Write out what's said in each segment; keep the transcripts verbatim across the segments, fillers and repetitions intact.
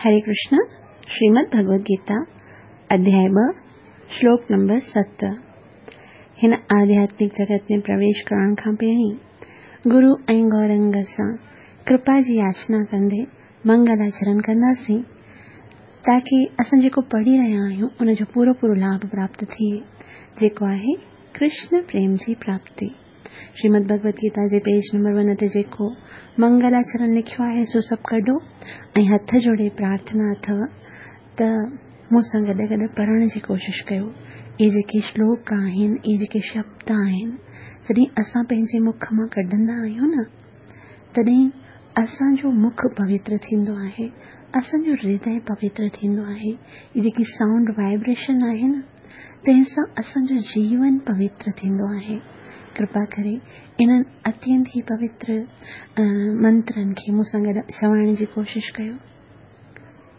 हरे कृष्ण। श्रीमद् भगवद गीता अध्याय ॿ श्लोक नंबर सत। हिन आध्यात्मिक जगत में प्रवेश करण खां पहिरीं गुरु ऐं गौरंग सां कृपा जी याचना कंदे मंगलाचरण कंदासीं ताकी असां जेको पढ़ी रहिया आहियूं उनजो पूरो पूरो लाभ प्राप्त थिए, जेको आहे कृष्ण प्रेम जी प्राप्ति। श्रीमद् भगवद गीता जे पेज नंबर वन ते जेको मंगलाचरण लिखियो आहे सो सभु कढो ऐं हथ जोड़े प्रार्थना अथव त मूंसां गॾु गॾु पढ़ण जी कोशिशि कयो। इहे जेके श्लोक आहिनि, इहे जेके शब्द आहिनि, जॾहिं असां पंहिंजे मुख मां कढंदा आहियूं न, तॾहिं असांजो मुख पवित्र थींदो आहे, असांजो हृदय पवित्र थींदो आहे। इहे जेकी साउंड वाइब्रेशन आहे न, तंहिंसां असांजो जीवन पवित्र थींदो आहे। कृपा करे इन्हनि अत्यंत ई पवित्र मंत्रनि खे मूंसां गॾु चवण जी कोशिशि कयो।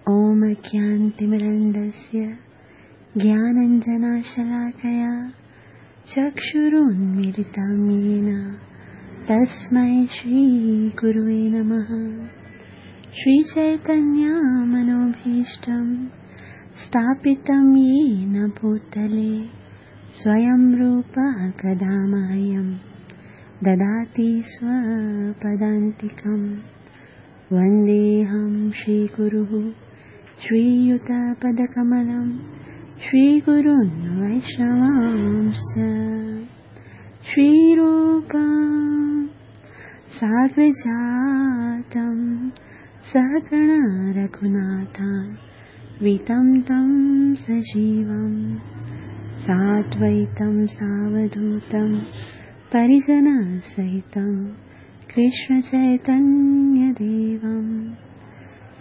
ओम अज्ञानतिमिरन्दस्य ज्ञानाञ्जनशलाकया चक्षुरुन्मीलितं येन तस्मै श्रीगुरुवे नमः। श्रीचैतन्यमनोभीष्टं स्थापितं येन भूतले स्वयं रूपः कदा मह्यं ददाति स्वपदान्तिकं। वन्देऽहं श्रीगुरुः श्रीयुतपदकमलं श्रीगुरुन् वैष्णवांश्च। श्रीरूपं साग्रजातं सहगण रघुनाथान्वितं तं सजीवं साद्वैतं सावधूतं परिजनसहितं कृष्णचैतन्यदेवं।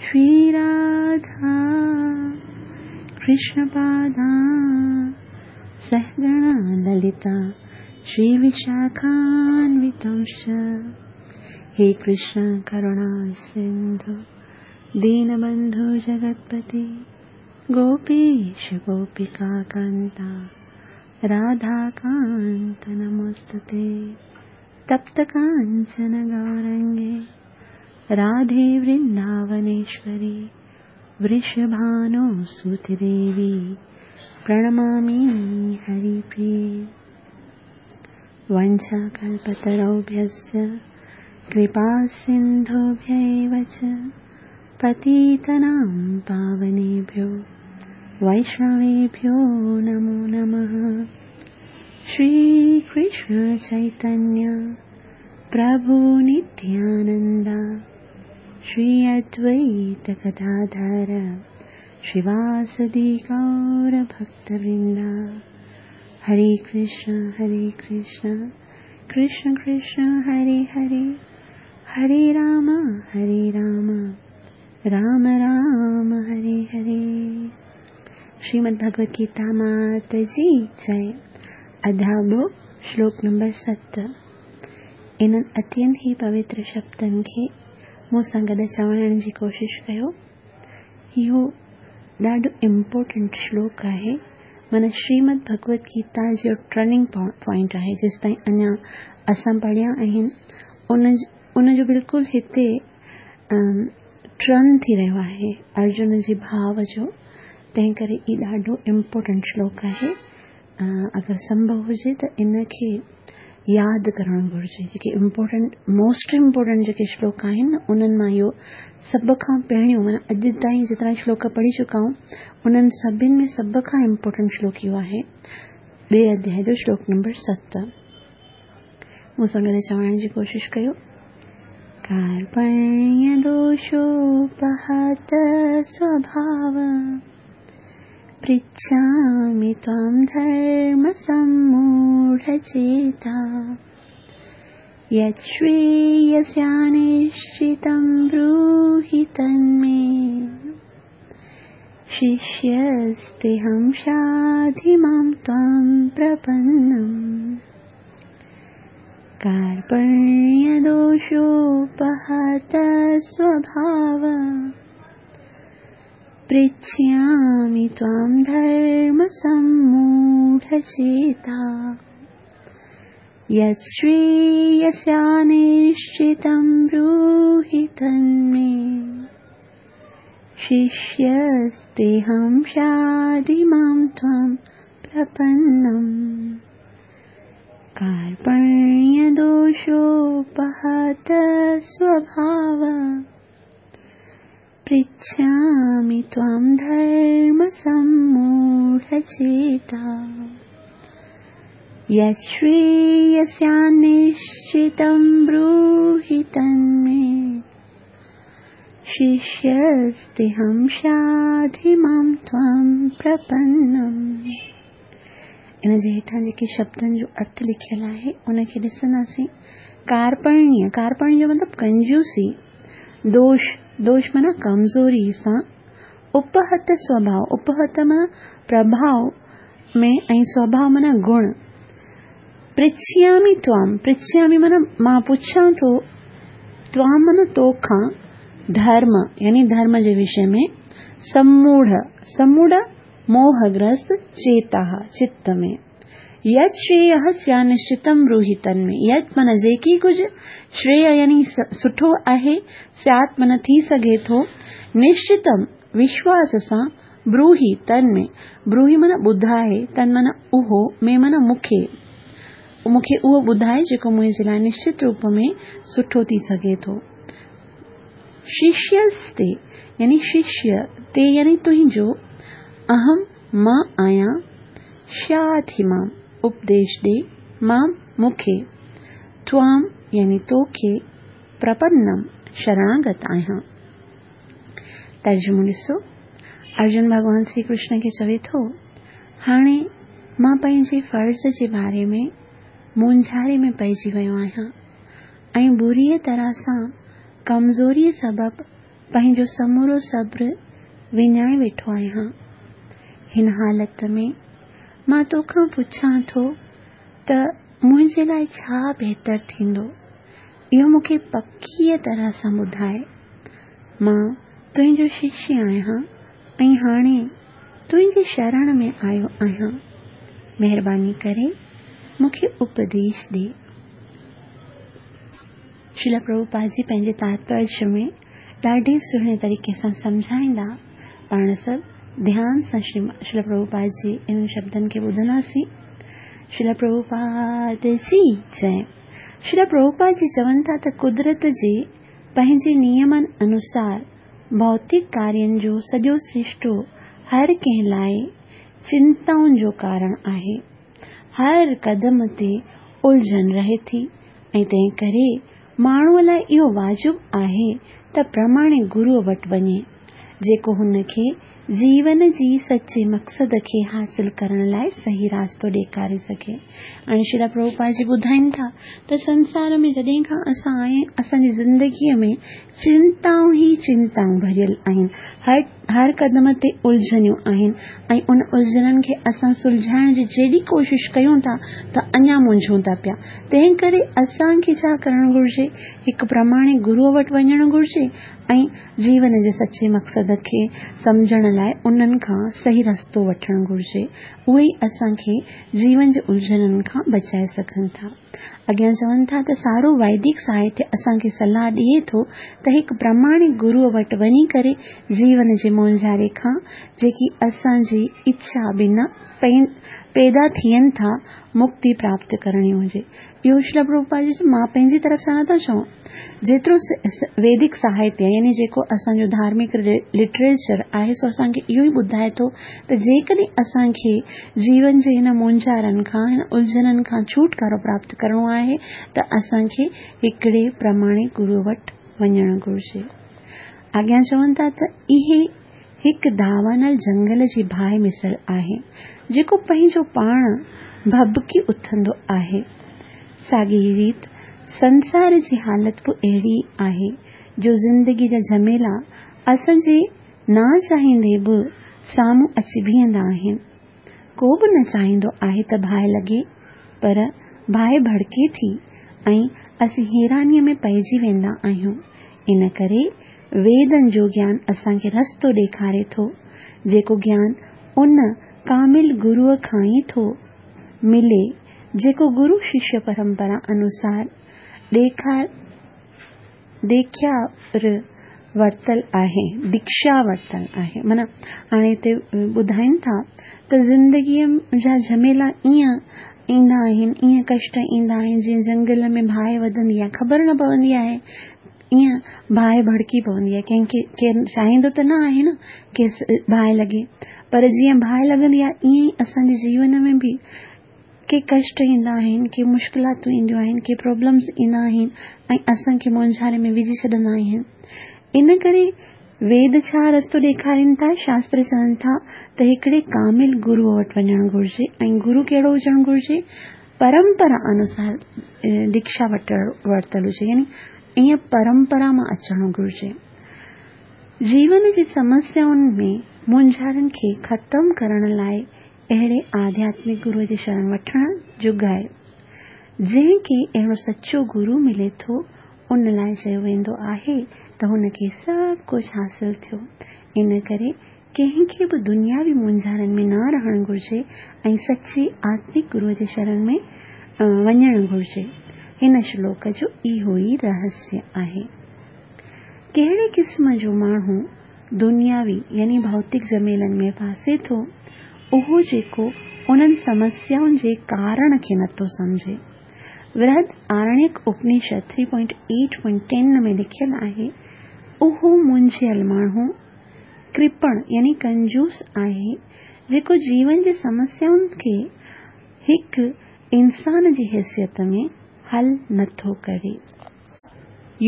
श्रीराधा कृष्णपादा सहगणा ललिता श्रीविशाखान्वितंश्च। हे कृष्ण करुणा सिन्धु दीनबन्धु जगत्पते गोपीश गोपिका कान्ता राधाकान्त नमोस्तुते। तप्त काञ्चन गौरङ्गे राधे वृन्दावनेश्वरी वृषभानुसुते देवी प्रणमामि हरिप्रिये। वञ्चाकल्पतरुभ्यश्च कृपासिन्धुभ्य एव च पतितानां पावनेभ्यो वैष्णवेभ्यो नमो नमः। श्रीकृष्ण चैतन्य प्रभु नित्यानन्द श्री अद्वैत गदाधर श्रीवासदि गौर भक्तवृन्द। हरे कृष्ण हरे कृष्ण कृष्ण कृष्ण हरे हरे, हरे राम हरे राम राम राम हरे हरे। श्रीमद् भगवद गीता मात जी जय। अध्याय ॿ श्लोक नंबर सत। इन्हनि अत्यंत ई पवित्र शब्दनि खे मूंसां गॾु चवण जी कोशिशि कयो। इहो ॾाढो इम्पोर्टेंट श्लोक आहे, माना श्रीमद् भगवद गीता जो टर्निंग पॉइंट आहे। जेसि ताईं अञा असां पढ़िया आहिनि उन उनजो बिल्कुलु हिते टर्न थी रहियो आहे अर्जुन जे भाव जो, तंहिं करे इहो ॾाढो इम्पोर्टेंट श्लोक आहे। अगरि संभव हुजे त इनखे यादि करणु घुरिजे। जेके इम्पोर्टेंट मोस्ट इम्पोर्टेंट जेके श्लोक आहिनि उन्हनि मां इहो सभ खां पहिरियों, माना अॼु ताईं जेतिरा श्लोक पढ़ी चुका आहियूं उन्हनि सभिनी में सभ खां इम्पोर्टेंट श्लोक इहो आहे, ॿिए अध्याय जो श्लोक नंबर सत। मूंसां गॾु चवण जी कोशिशि कयो। कार्पण्यदोषोपहत स्वभाव पृच्छामि त्वां धर्मसम्मूढचेता यच्छ्रेयस्यानिश्चितं ब्रूहि तन्मे शिष्यस्तेऽहं शाधि मां त्वां प्रपन्नम्। कार्पण्यदोषोपहत स्वभाव पृच्छामि त्वां धर्मसम्मूढचेता यच्छ्रेयस्यानिश्चितं ब्रूहि तन्मे शिष्यस्तेऽहं शाधि मां त्वां प्रपन्नम्। कार्पण्यदोषोपहत स्वभाव पृच्छामि त्वां धर्मसम्मूढचेता। यच्छ्रेयस्यान्निश्चितं ब्रूहि तन्मे शिष्यस्तेऽहं शाधि मां त्वां प्रपन्नम्। इन जे हेठां जेके शब्दनि जो अर्थ लिखियलु आहे उनखे ॾिसंदासीं। कार्पण्य, कार्पण्य जो मतिलबु कंजूसी, दोष, दोष माना कमज़ोरी सां, उपहत स्वभाव, उपहत माना प्रभाव में ऐं स्वभाव माना गुण। पृच्छामि त्वां, पृच्छामि माना मां पुछां थो, त्वां माना तोखां, धर्म यानी धर्म जे विषय में, सम्मूढ़, सम्मूढ़ मोहग्रस्त, चेता चित्त में, यत् श्रेयः स्यान्निश्चितं ब्रूहि तन्मे। यत् माना जेकी कुझु, श्रेय यानी सुठो आहे, स्यात् माना थी सघे थो, निश्चितं विश्वास सां, ब्रूहि तन्मे, ब्रूहि माना ॿुधाए, तन माना उहो, में माना मूंखे, मूंखे उहो ॿुधाए जेको मुंहिंजे लाइ निश्चित रूप में सुठो थी सघे थो। शिष्यस्ते यानी शिष्य, ते यानी तुंहिंजो, अहं मां आहियां, शाधि मां उपदेश ॾे, मां मूंखे, त्वां यानी तोखे, प्रपन्नम शरणागत आहियां। तर्जुमो ॾिसो, अर्जुन भॻवान श्री कृष्ण खे चवे थो, हाणे मां पंहिंजे फ़र्ज़ जे बारे में मूंझारे में पइजी वियो आहियां ऐं बुरीअ तरह सां कमज़ोरीअ सबबु पंहिंजो समूरो सब्र विञाए वेठो आहियां। हिन हालत में मां तोखां पुछां थो त मुंहिंजे लाइ छा बहितर थींदो, इहो मूंखे पकीअ तरह सां ॿुधाए। मां तुंहिंजो शिष्य आहियां ऐं हाणे तुंहिंजी शरण में आयो आहियां, महिरबानी करे मूंखे उपदेश ॾे। श्रील प्रभुपाद जी पंहिंजे तात्पर्य में ॾाढे सुहिणे तरीक़े सां सम्झाईंदा। पाण सभु ध्यान सां श्रील प्रभुपाद जी इन्हनि शब्दनि खे ॿुधंदासीं। श्रील प्रभुपाद जी जय। श्रील प्रभुपाद जी चवनि था त कुदरत जे पंहिंजे नियमनि अनुसार भौतिक कार्यनि जो सॼो सृष्टो हर कंहिं लाइ चिंताउनि जो कारण आहे। हर कदम ते उलझन रहे थी ऐं तंहिं करे माण्हूअ लाइ इहो वाजिब आहे त प्रमाणिक गुरूअ वटि वञे जेको हुनखे जीवन जी सचे मक़सद खे हासिल करण लाइ सही रास्तो ॾेखारे सघे। हाणे श्रील प्रभुपाद जी ॿुधाइनि था त संसार में जॾहिं खां असां आए असांजी ज़िंदगीअ में चिंताऊं ई चिंताऊं भरियल आहिनि, हर हर कदम ते उलझनियूं आहिनि ऐं उन उलझननि खे असां सुलझाइण जी जेॾी कोशिश कयूं था त अञा मुंझूं था पिया। तंहिं करे असांखे छा करणु घुरिजे, हिकु प्रमाणिक गुरूअ वटि वञणु घुरिजे ऐं जीवन जे सचे मक़सद खे सम्झण लाइ उन्हनि खां सही रस्तो वठणु घुरिजे। उहे ई असांखे जीवन जे उलझननि खां बचाए सघनि था। अॻियां चवनि था त सारो वैदिक साहित्य असांखे सलाह ॾिए थो त हिकु प्रमाणिक गुरूअ वटि वञी करे जीवन जे मूंझारे खां जेकी असांजी इच्छा बिना पैदा थियनि था मुक्ति प्राप्त करणी हुजे। इहो श्रील प्रभुपाद जी मां पंहिंजी तरफ़ सां नथा चवां, जेतिरो वैदिक साहित्य यानी जेको असांजो धार्मिक लिटरेचर आहे सो असांखे इहो ई ॿुधाए थो त जेकॾहिं असांखे जीवन जे हिन मूंझारनि खां, हिन उलझननि खां छुटकारो प्राप्त करिणो आहे त असांखे हिकिड़े प्रमाणिक गुरूअ वटि वञणु घुरिजे। अॻियां चवनि था त इहे हिकु दावानल जंगल जी बाहि मिसल आहे जेको पंहिंजो पाण भबकी उथंदो आहे। साॻी रीत संसार जी हालत बि अहिड़ी आहे जो ज़िंदगी जा झमेला असांजे न चाहींदे बि साम्हूं अची बीहंदा आहिनि। को बि न चाहींदो आहे त बाहि लॻे, पर बाहि भड़के थी ऐं असीं हैरानीअ में पइजी वेंदा आहियूं। इन करे वेदनि जो ज्ञान असांखे रस्तो ॾेखारे थो, जेको ज्ञान उन कामिल गुरूअ खां ई थो मिले जेको गुरु शिष्य परंपरा अनुसार ॾेखार देख्यार ورتل آهي، ديڪشا ورتل آهي. معنيٰ هاڻي هتي ٻڌائين ٿا ته زندگيء جا جهميلا ائين ايندا آهن، ائين ڪشٽ ايندا آهن جيئن جهنگل ۾ باهه وڌندي آهي، خبر نه پوندي آهي، ائين باهه ڀڙڪي پوندي آهي. ڪنهن کي ڪير چاهيندو ته نه آهي نه کيس باهه لڳي، پر جيئن باهه لڳندي آهي ائين ئي اسان جي جيون ۾ به ڪي ڪشٽ ايندا آهن، ڪي مشڪلاتون اينديون آهن، ڪي پرابلمس ايندا آهن ۽ اسان کي مونجهاري ۾ وجهي ڇڏندا آهن. ان ڪري ويد ڇا رستو ڏيکارين ٿا؟ شاستر چون ٿا ته هڪڙي ڪامل گروء وٽ وڃڻ گهرجي ۽ گرو ڪهڙو هجڻ گهرجي؟ پرمپرا انوسار ديڪشا ورتل هجي، يعني ائين پرمپرا مان اچڻ گهرجي. جيون جي سمسيائن ۾ مونجهارن کي ختم ڪرڻ لاء اهڙي آڌياتمڪ گروء جي شرڻ وٺڻ جڳائي. جنهن کي اهڙو سچو گرو ملي ٿو، ان لاءِ چيو ويندو آهي ته هن کي سڀ ڪجهه حاصل ٿيو. ان ڪري ڪنهن کي به دنياوي مونجهارن ۾ نه رهڻ گهرجي ۽ سچي آتمڪ گروء جي شرڻ ۾ وڃڻ گهرجي. هن شلوڪ جو اهو ئي رهسيه آهي. ڪهڙي قسم جو ماڻهو دنياوي يعني ڀوتڪ جهميلن ۾ ڦاسي ٿو؟ اهو جيڪو انهن سمسيائن جي ڪارڻ کي نٿو سمجهي. ورهد آرڻيڪ Upanishad three point eight point ten ۾ لکيل آهي، اهو منجهيل ماڻهو ڪرپڻ يعني ڪنجوس آهي، جيڪو جيون جي سمسيائن کي هڪ انسان جي حيثيت ۾ حل نٿو ڪري.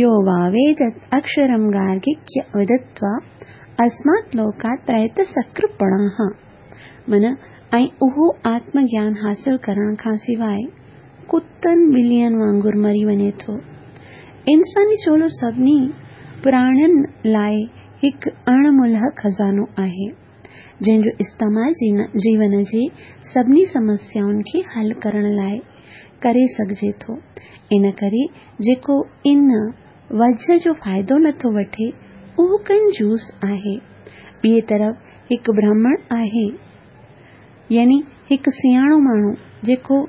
يو واويدت اڪشرم گارگيڪ ودتوا اسمات لوڪات پريت سڪرپڻاها. معنيٰ ۽ اهو آتم گيان حاصل ڪرڻ کان سواءِ ڪتن ٻلين وانگر مري وڃي ٿو. انساني چولو سڀني پراڻين لاءِ هڪ اڻ ملهه خزانو آهي، جنهن جو استعمال جيون جي سڀني سمسيائن کي حل ڪرڻ لاءِ ڪري سگهجي ٿو. ان ڪري جيڪو ان وجهه جو فائدو نٿو وٺي، اهو ڪنجوس آهي. ٻئي طرف هڪ برهمڻ آهي، يعني هڪ سياڻو ماڻهو، جيڪو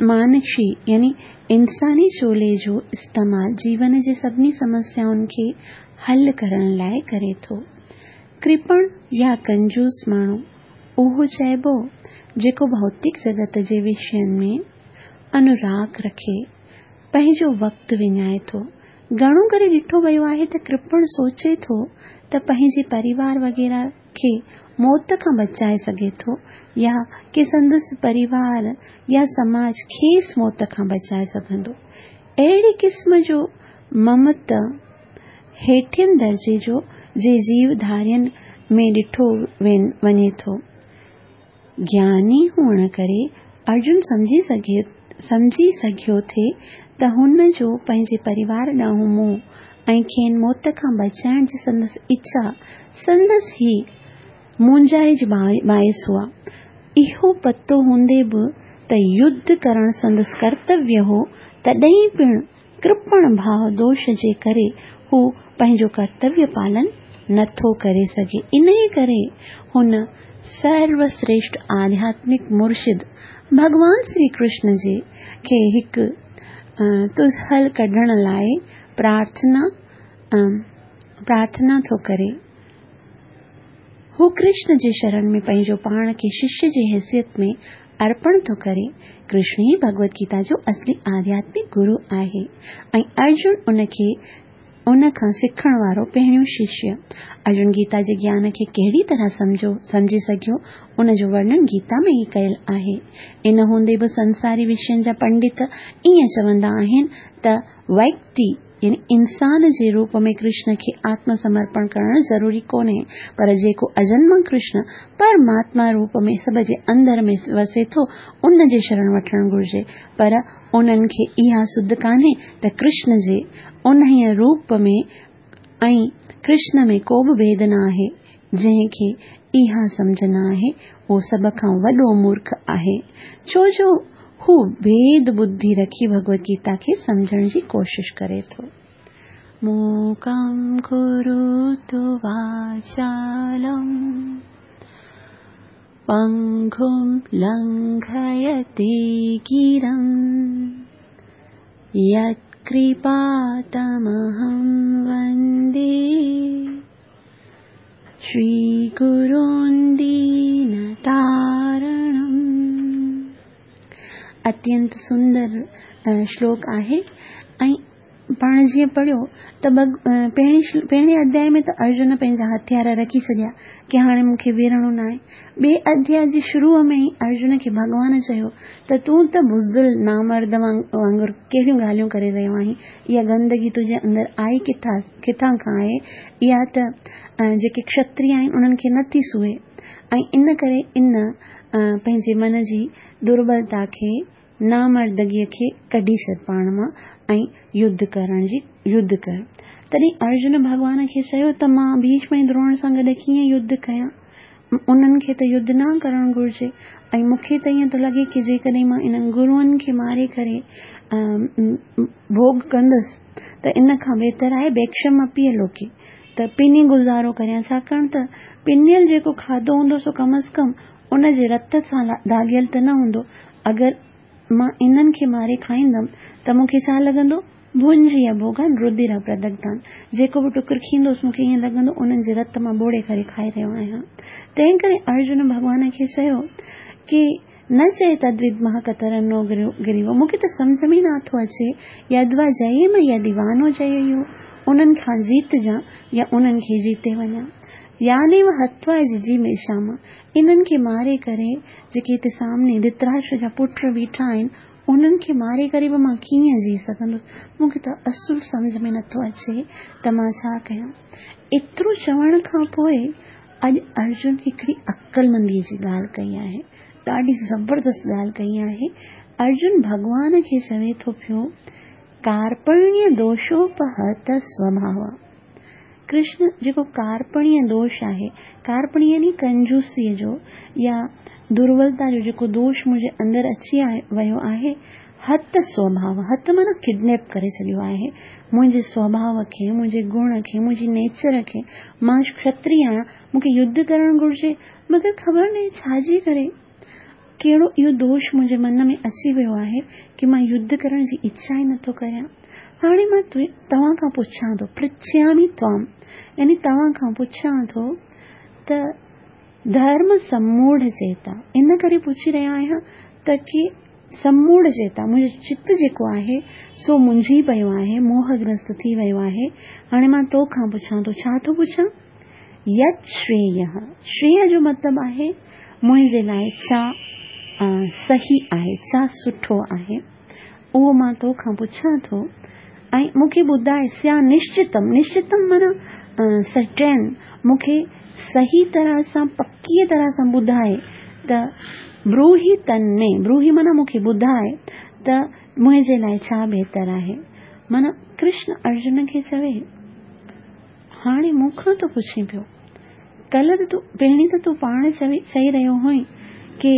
مانشي يعني انساني چولي جو استعمال جيون جي سڀني سمسيائن کي حل ڪرڻ لاءِ ڪري ٿو. ڪرپڻ يا ڪنجوس ماڻهو اهو چئبو جيڪو ڀوتڪ جڳت جي وشين ۾ انوراڳ رکي پنهنجو وقت وڃائي ٿو. گهڻو ڪري ڏٺو ويو آهي ته ڪرپڻ سوچي ٿو ته پنهنجي پريوار وغيره کي موت کان بچائي سگهي ٿو يا ڪي سندس پريوار يا سماج کيس موت کان بچائي سگهندو. اهڙي قسم جو ممت هيٺين درجي جو جي جيو ڌارين ۾ ڏٺو وڃي ٿو. گياني هئڻ ڪري ارجن سمجهي سگهي سمجهي سگهيو ٿي ته هن جو پنهنجي پريوار ڏانهن موهه ۽ کين موت کان بچائڻ جي سندس اڇا سندس ئي مونجهاري جي باعث هئا. اهو پتو هوندي به ته يڌ ڪرڻ سندس ڪرتويه هو، تڏهن پڻ ڪرپڻ ڀاو دوش جي ڪري هو پنهنجو ڪرتويه پالن نٿو ڪري سگهي. انهيءَ ڪري هن سروشريشٺ آڌياتمڪ مرشد ڀڳوان شري ڪرشن جي کي هڪ تز حل ڪڍڻ لاءِ پرارٿنا پرارٿنا ٿو ڪري. هو ڪرشن جي شرڻ ۾ پنهنجو پاڻ کي ششيه جي حيثيت ۾ ارپڻ ٿو ڪري. ڪرشن ئي ڀڳوت گيتا جو اصلي آڌياتمڪ گرو آهي ۽ ارجن ان کي ان کان سکڻ وارو پهريون ششيه. ارجن گيتا جي گيان کي ڪهڙي طرح سمجهو سمجهي سگهيو، ان جو ورڻن گيتا ۾ ئي ڪيل آهي. ان هوندي به سنساري وشين جا پنڊت ائين چوندا آهن ته ويڪتي يعني انسان جي روپ ۾ ڪرشن کي آتم سمرپڻ ڪرڻ ضروري ڪونهي، پر جيڪو اجنما ڪرشن پرماتما روپ ۾ سڀ جي اندر ۾ وسي ٿو، ان جي شرڻ وٺڻ گهرجي. پر انهن کي اها سڌ ڪانهي ته ڪرشن جي انهيءَ روپ ۾ ۽ ڪرشن ۾ ڪو به ڀيد نه آهي. جنهن کي اها سمجهه نه آهي، اهو سڀ کان وڏو مورک آهي، ڇو جو هو ڀيد ٻڌي رکي ڀڳوت گيتا کي سمجهڻ جي ڪوشش ڪري ٿو. موڪم ڪروتو واچالم پنگم لنگهيتي گرم يت कृपा तमहं वन्दे श्रीगुरून् दीनतारणम्। अत्यंत सुंदर श्लोक आहे। ऐं पाण जीअं पढ़ियो त पहिरीं पहिरें अध्याय में त अर्जुन पंहिंजा हथियार रखी छॾिया की हाणे मूंखे विढ़णो न आहे। ॿिए अध्याय जे शुरू में ई अर्जुन खे भॻवान चयो त तूं त बुज़दिल नामर्द वांगुरु कहिड़ियूं ॻाल्हियूं करे रहियो आहीं, इहा गंदगी तुंहिंजे अंदरि आई किथां किथां खां आहे, इहा त जेके क्षत्रिय आहिनि उन्हनि खे नथी सुहे। ऐं इन करे इन पंहिंजे मन जी दुर्बलता खे, नामर्दगीअ खे कढी छॾ पाण मां ऐं युद्ध करण जी युद्ध कर। तॾहिं अर्जुन भॻवान खे चयो त मां भीष्म ऐं द्रोण सां गॾु कीअं युद्ध कयां, उन्हनि खे त युद्ध न करणु घुरिजे ऐं मूंखे त ईअं थो लॻे की जेकॾहिं मां इन्हनि गुरुअनि खे मारे करे भोग कंदुसि त इन खां बहितर आहे भिक्षम अपीअ लोके, त पिनी गुज़ारो करियां, छाकाणि त पिनियल जेको खाधो हूंदो सो कम अज़ कम उनजे रत सां दाॻियल त न हूंदो। अगरि मां इन्हनि खे मारे खाईंदमि त मूंखे छा लॻंदो, भुंजी भोगान रुधिर प्रदग्धान, जेको बि टुकुर खींदोसि मूंखे ईअं लॻंदो उन्हनि जे रत मां ॿोड़े करे खाई रहियो आहियां। तंहिं करे अर्जुन भॻवान खे चयो की न चए तद्विद्मः कतरनो गिरिवो, मूंखे त सम्झ में नथो अचे, यद्वा जयेम यदि वानो जययो, उन्हनि खां जीतजां या उन्हनि खे जीते वञा। यानेव हत्वा जिजीमेषाम, इन्हनि खे मारे करे जेके हिते सामने धृतराष्ट्र जा पुट बीठा आहिनि उन्हनि खे मारे करे बि मां कीअं जी सघंदुसि, मूंखे त असुलु सम्झ में नथो अचे त मां छा कयां। एतिरो चवण खां पोइ अॼु अर्जुन हिकिड़ी अक़लमंदीअ जी ॻाल्हि कई आहे, ॾाढी ज़बरदस्त ॻाल्हि कई आहे। अर्जुन भॻवान खे चवे थो पियो कार्पण्य दोषोपहत स्वभाव। कृष्ण जेको कार्पण्य दोष आहे, कार्पण्य यानी कंजूसीअ जो या दुर्बलता जो जेको दोष मुंहिंजे अंदरि अची वियो आहे, हत स्वभाव, हत माना किडनैप करे छॾियो आहे मुंहिंजे स्वभाव खे, मुंहिंजे गुण खे, मुंहिंजी नेचर खे। मां क्षत्रिय आहियां, मूंखे युद्ध करणु घुरिजे, मगर ख़बर न छाजे करे कहिड़ो इहो दोष मुंहिंजे मन में अची वियो आहे की मां युद्ध करण जी इच्छा ई नथो करियां। हाणे मां तव्हां खां पुछां थो, पृच्छामि त्वां, यानी तव्हां खां पुछां थो त धर्म सम्मूढ़ चेता, इन करे पुछी रहियो आहियां त की सम्मूढ़ चेता मुंहिंजो चित जेको आहे सो मुंझी पियो आहे, मोहग्रस्त थी वियो आहे। हाणे मां तो खां पुछां थो, छा थो पुछां, यत् श्रेयः, श्रेय जो मतिलबु आहे मुंहिंजे लाइ छा सही आहे, छा सुठो आहे, उहो मां तो खां पुछां थो ऐं मूंखे ॿुधाए स्या निश्चितम, निश्चितम माना सर्टेन, मूंखे सही तरह सां पकीअ तरह सां ॿुधाए त ब्रूहि तन्मे, ब्रूहि माना मूंखे ॿुधाए त मुंहिंजे लाइ छा बहितर आहे। माना कृष्ण अर्जुन खे चवे हाणे मूंखां थो पुछी पियो, कल्ह त तूं पहिरीं त तूं पाण चवे चई रहियो हुई की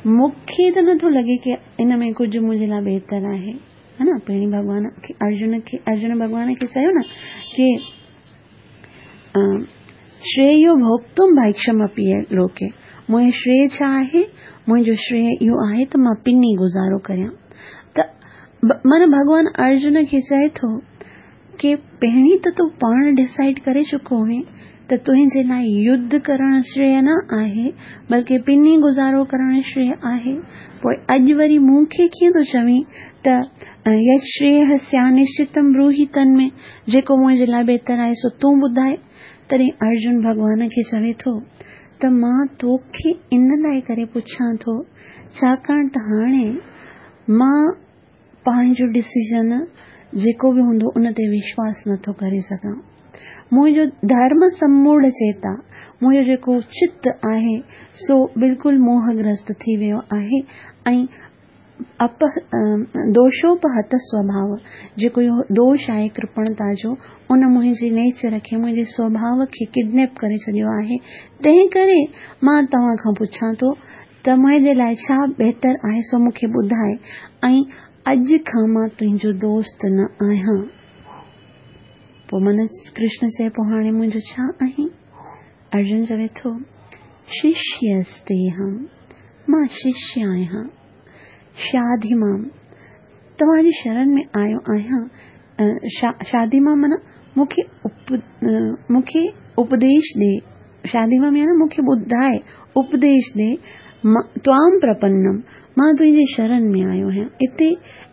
मूंखे त नथो लॻे की इन में कुझु मुंहिंजे लाइ बहितर आहे, है न। पहिरीं भॻवान खे अर्जुन खे अर्जुन भॻवान खे चयो न की श्रेयो भोक्तुम भैक्षम अपि लोके, मुंहिंजो श्रेय छा आहे, मुंहिंजो श्रेय इहो आहे त मां पिनी गुज़ारो करियां। त माना भॻवान अर्जुन खे चए थो की पहिरीं त तूं पाण डिसाइड करे चुको हुई त तुंहिंजे लाइ युद्ध करणु श्रेय न आहे बल्कि पिनी गुज़ारो करणु श्रेय आहे। पोइ अॼु वरी मूंखे कीअं थो चवीं त यत् श्रेयः स्या निश्चितम ब्रूहि तन्मे, जेको मुंहिंजे लाइ बहितर आहे सो तूं ॿुधाए। तॾहिं अर्जुन भॻवान खे चवे थो त मां तोखे इन लाइ करे पुछां थो छाकाणि त हाणे मां पंहिंजो डिसीजन जेको बि हूंदो उन ते विश्वास नथो करे सघां। मुंहिंजो धर्म सम्मूढ़ चेता, मुंहिंजो जेको चित आहे सो बिल्कुलु मोहग्रस्त थी वियो आहे ऐं अप दोषोपहत स्वभाव, जेको इहो दोष आहे कृपणता जो, उन मुंहिंजे नेचर खे, मुंहिंजे स्वभाव खे किडनैप करे छॾियो आहे। तंहिं करे मां तव्हां खां पुछां थो त मुंहिंजे लाइ छा बहितर आहे सो मूंखे ॿुधाए ऐं अॼु खां मां तुंहिंजो दोस्त न आहियां। पोइ मन कृष्ण चए पोइ हाणे मुंहिंजो छा आहीं? अर्जुन चवे थो शिष्यस्तेऽहं, मां शिष्य आहियां। शाधि मां, तव्हांजी शरण में आयो आहियां, शादी मां माना मूंखे मूंखे उपदेश ॾे, शादी मां माना मूंखे ॿुधाए उपदेश ॾे, त्वाम प्रपन्नम, मां तुंहिंजे शरण में आयो आहियां। हिते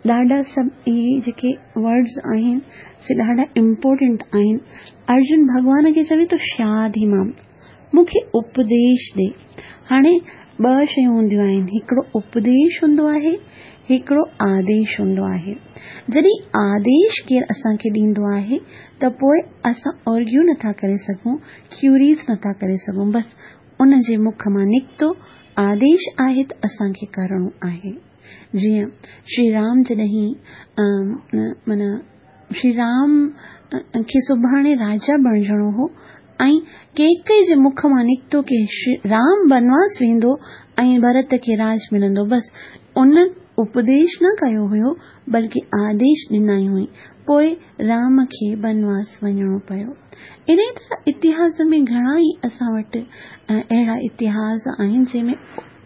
ॾाढा सभु इहे जेके वर्ड्स आहिनि से ॾाढा इम्पोर्टेंट आहिनि। अर्जुन भॻवान खे चवे थो शादी मां, मूंखे उपदेश ॾे। हाणे ॿ शयूं हूंदियूं आहिनि, हिकिड़ो उपदेश हूंदो आहे, हिकिड़ो आदेश हूंदो आहे। जॾहिं आदेश केरु असांखे ॾींदो आहे त पोइ असां आर्ग्यू नथा करे सघूं, क्यूरीज़ नथा करे सघूं, बसि उन जे मुख मां निकितो आदेश आहे त असांखे करिणो आहे। जीअं श्री राम जॾहिं माना श्री राम खे सुभाणे राजा बणिजणो हो ऐं केकई जे मुख मां निकितो की राम बनवास वेंदो ऐं भरत खे राज मिलंदो, बसि उन उपदेश न कयो हुयो बल्कि आदेश ॾिनाई हुई, पोइ राम खे बनवास वञिणो पियो। इन तरह इतिहास में घणा ई असां वटि अहिड़ा इतिहास आहिनि जंहिंमें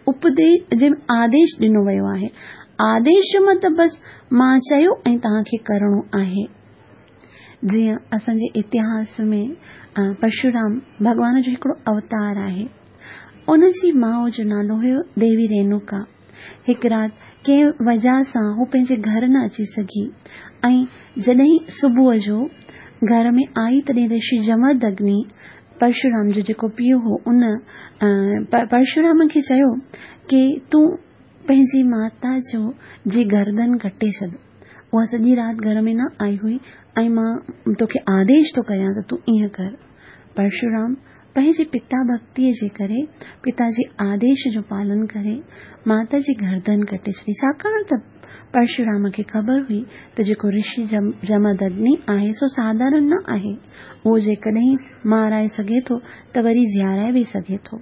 उपदेश जंहिंमें आदेश ॾिनो वियो आहे। आदेश जो मतिलबु बसि मां चयो ऐं तव्हांखे करिणो आहे। जीअं असांजे इतिहास में परशुराम भॻवान जो हिकिड़ो अवतार आहे, उनजी माउ जो नालो हुयो देवी रेणुका। हिकु राति कंहिं वजह सां हू पंहिंजे घर न अची सघी ऐं जॾहिं सुबुह जो घर में आई तॾहिं ऋषि जमदग्नि परशुराम जो जेको पीउ हो उन परशुराम खे चयो की तूं पंहिंजी माता जो जी गर्दन कटे छॾ, उहा सॼी राति घर में न आई हुई ऐं मां तोखे आदेश थो कयां त तूं ईअं कर। परशुराम पंहिंजे पिता भक्तीअ जे करे पिता जे आदेश जो पालन करे माता जी गर्दन कटे छॾी, छाकाणि त परशुराम खे ख़बर हुई त जेको ऋषि जमदग्नि आहे सो साधारण न आहे, उहो जेकॾहिं माराए सघे थो त वरी जीआराए बि सघे थो।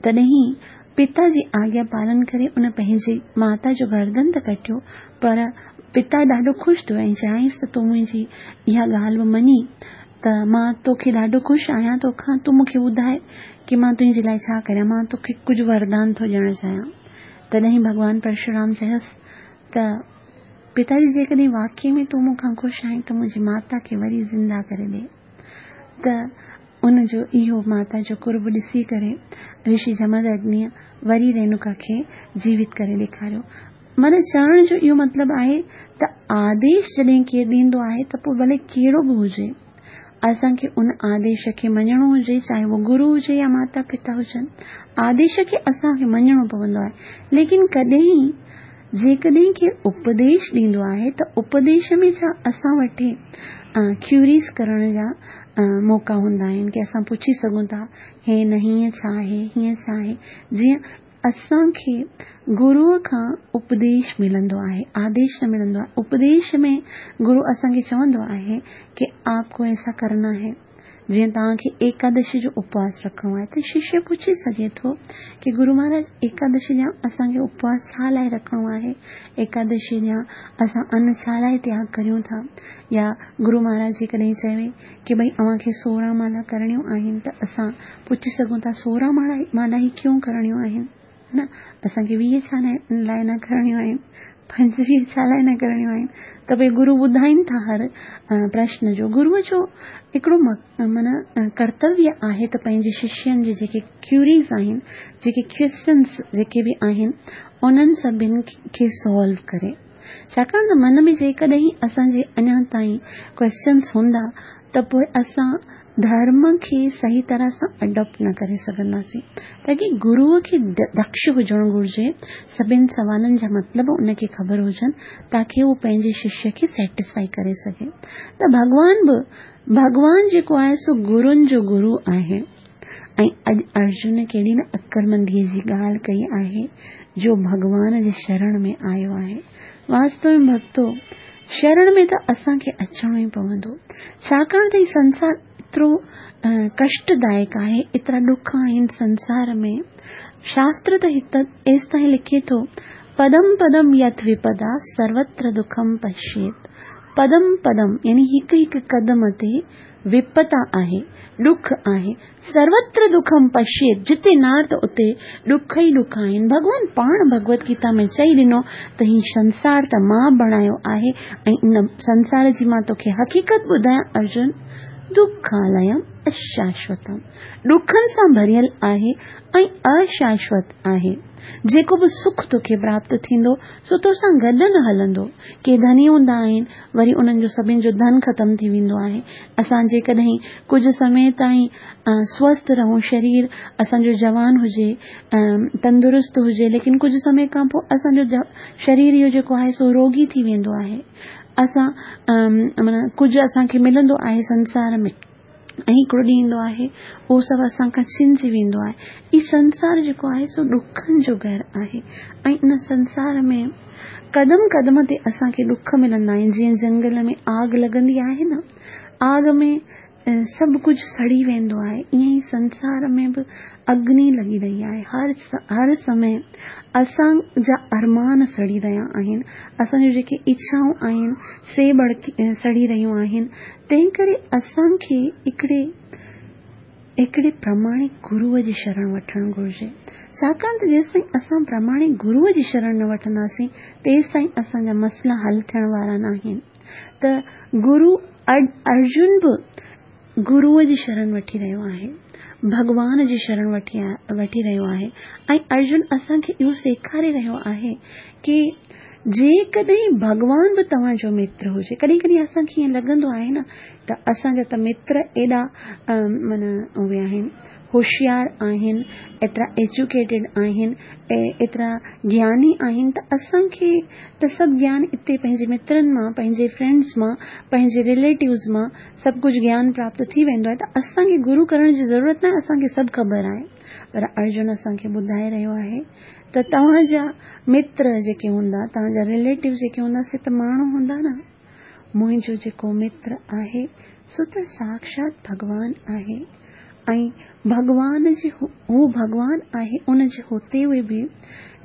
तॾहिं पिता जी आज्ञा पालन करे उन पंहिंजी माता जो गर्दन त कटियो, पर पिता ॾाढो ख़ुशि थियो ऐं चयाईंसि त तूं मुंहिंजी इहा ॻाल्हि बि मञी त मां तोखे ॾाढो ख़ुशि आहियां तोखां, तूं मूंखे ॿुधाए की मां तुंहिंजे लाइ छा करियां, मां तोखे कुझु वरदान थो ॾियणु चाहियां। तॾहिं भॻवान परशुराम चयसि त पिताजी जेकॾहिं वाकई में तूं मूंखां ख़ुशि आहीं त मुंहिंजी माता खे वरी ज़िंदा करे ॾे। त उन जो इहो माता जो कुर्ब ॾिसी करे ऋषि जमदग्निअ वरी रेणुका खे जीवित करे ॾेखारियो। माना चवण जो इहो मतिलबु आहे त आदेश जॾहिं केरु ॾींदो आहे त पोइ भले कहिड़ो बि हुजे, असांखे उन आदेश खे मञणो हुजे, चाहे उहो गुरू हुजे या माता पिता हुजनि, आदेश खे असांखे मञणो पवंदो आहे। लेकिन कॾहिं जेकॾहिं केरु उपदेश ॾींदो आहे त उपदेश में छा असां वटि क्यूरीज़ करण जा मौक़ा हूंदा आहिनि की असां पुछी सघूं था हे न हीअं छा आहे, हीअं छा आहे। जीअं असांखे गुरूअ खां उपदेश मिलंदो आहे, आदेश न मिलंदो आहे। उपदेश में गुरू असांखे चवंदो आहे की आपको ऐसा करना है। जीअं तव्हांखे एकादशी जो उपवास रखिणो आहे त शिष्य पुछी सघे थो की गुरू महाराज एकादशी जा असांखे उपवास छा लाइ रखिणो आहे, एकादशी जा असां अन छा लाइ त्याग करियूं था। या गुरू महाराज जेकॾहिं चवे की भई अव्हांखे सोरहं माला करणियूं आहिनि त असां पुछी सघूं था सोरहं माला माला ई क्यों करणियूं आहिनि, न असांखे वीह छा लाइ न करणियूं आहिनि, पंजवीह छा लाइ न करणियूं आहिनि। त भई गुरू ॿुधाइनि था हर प्रश्न जो। गुरूअ जो हिकिड़ो माना कर्तव्य आहे त पंहिंजे शिष्यनि जे जेके क्यूरीज़ आहिनि, जेके क्वेश्चन्स जेके बि आहिनि, उन्हनि सभिनी खे सॉल्व करे। छाकाणि त मन में जेकॾहिं असांजे अञा ताईं क्वेश्चन्स हूंदा त पोइ असां धर्म खे सही तरह सां अडॉप्ट न करे सघंदासीं। ताकी गुरूअ खे दक्ष हुजणु घुरिजे, सभिनी सवालनि जा मतिलब उनखे ख़बर हुजनि ताकी उहो पंहिंजे शिष्य खे सेटिस्फाई करे सघे। त भॻवान बि भॻवान जेको आहे सो गुरुनि जो गुरू आहे। ऐं अॼु अर्जुन केॾी न अक़लमंदीअ जी ॻाल्हि कई आहे जो भॻवान जे शरण में आयो आहे। वास्तव में भक्तो, शरण में त असांखे अचिणो ई पवंदो, छाकाणि त हीउ संसार एतिरो कष्टदायक आहे, एतिरा ॾुख आहिनि संसार में। शास्त्र त हिते एसि ताईं लिखे थो, पदम पदम यथ विपदा सर्वत्र दुखम पश्येत। पदम पदम यानी हिकु हिकु कदम ते وپتا آهي، ڏک آهي. سروتر دکم پشيت، جتي نار ته اتي ڏک ئي ڏک آهن. ڀڳوان پاڻ ڀڳوت گيتا ۾ چئي ڏنو ته هي سنسار ته مان بڻايو آهي ۽ ان سنسار جي مان توکي حقيقت ٻڌايان ارجن، دکاليم اشاشوتم، ڏکن سان ڀريل آهي ۽ اشاشوت آهي. جيڪو به سک توکي پراپت ٿيندو سو توسان گڏ نه هلندو. ڪي ڌني هوندا آهن، وري انهن جو سڀني جو ڌن ختم ٿي ويندو آهي. اسان جيڪڏهن ڪجهه سمي تائين سوسٿ رهون، شرير اسان جو جوان هجي، تندرست هجي، ليڪن ڪجهه سمي کان پوءِ اسان جو شرير اهو جيڪو آهي سو روڳي ٿي ويندو آهي. اسان معنيٰ ڪجهه اسان کي ملندو آهي سنسار ۾ ۽ هڪڙو ڏينهن ايندو آهي اهو سڀ اسان کان ڇنجي ويندو آهي. هي سنسار جيڪو آهي سو ڏکن جو گهر آهي ۽ ان سنسار ۾ قدم قدم تي اسان کي ڏک ملندا آهن. جيئن جنگل ۾ آگ لڳندي آهي نه، آگ ۾ سڀ ڪجهه سڙي ويندو آهي، ائين ئي سنسار ۾ به اگني لڳي رهي آهي. هر هر سمي اسان جا ارمان سڙي رهيا آهن، اسان جون جيڪي اڇائون آهن سي ڀڙڪي سڙي رهيون آهن. تنهن ڪري اسان کي هڪڙي هڪڙي پراماڻڪ گروءَ جي شرڻ وٺڻ گهرجي. ڇاڪاڻ ته جيستائين اسان پراماڻڪ گروءَ جي شرڻ نه وٺنداسين تيستائين اسان جا مسئلا حل ٿيڻ وارا نه آهن. ته گرو ارجن به گروءَ جي شرڻ وٺي رهيو آهي، ڀڳوان جي شرڻ وٺي وٺي رهيو آهي ۽ ارجن اسان کي اهو سيکاري رهيو آهي ڪه جيڪڏهن ڀڳوان به توهان جو متر هجي، ڪڏهن ڪڏهن اسان کي ائين لڳندو آهي نه ته اسان جا ته متر ايڏا معنيٰ اهي آهن، هوشيار آهن، ايترا ايجوڪيٽيڊ آهن، ايترا گياني آهن ته اسان کي ته سڀ گيان اتي پنهنجي مترن مان، پنهنجي فرينڊز مان، پنهنجي رليٽوز مان سڀ ڪجهه گيان پراپت ٿي ويندو آهي ته اسان کي گرو ڪرڻ جي ضرورت نه آهي، اسان کي سڀ خبر آهي. پر ارجن اسان کي ٻڌائي رهيو آهي ته توهان جا متر جيڪي هوندا، توهان جا رليٽو جيڪي هوندا سي ته ماڻهو هوندا نه، منهنجو جيڪو متر آهي سو ته ساڪشات ڀڳوان آهي ۽ ڀڳوان جي هو ڀڳوان آهي، ان جي هتي هئي به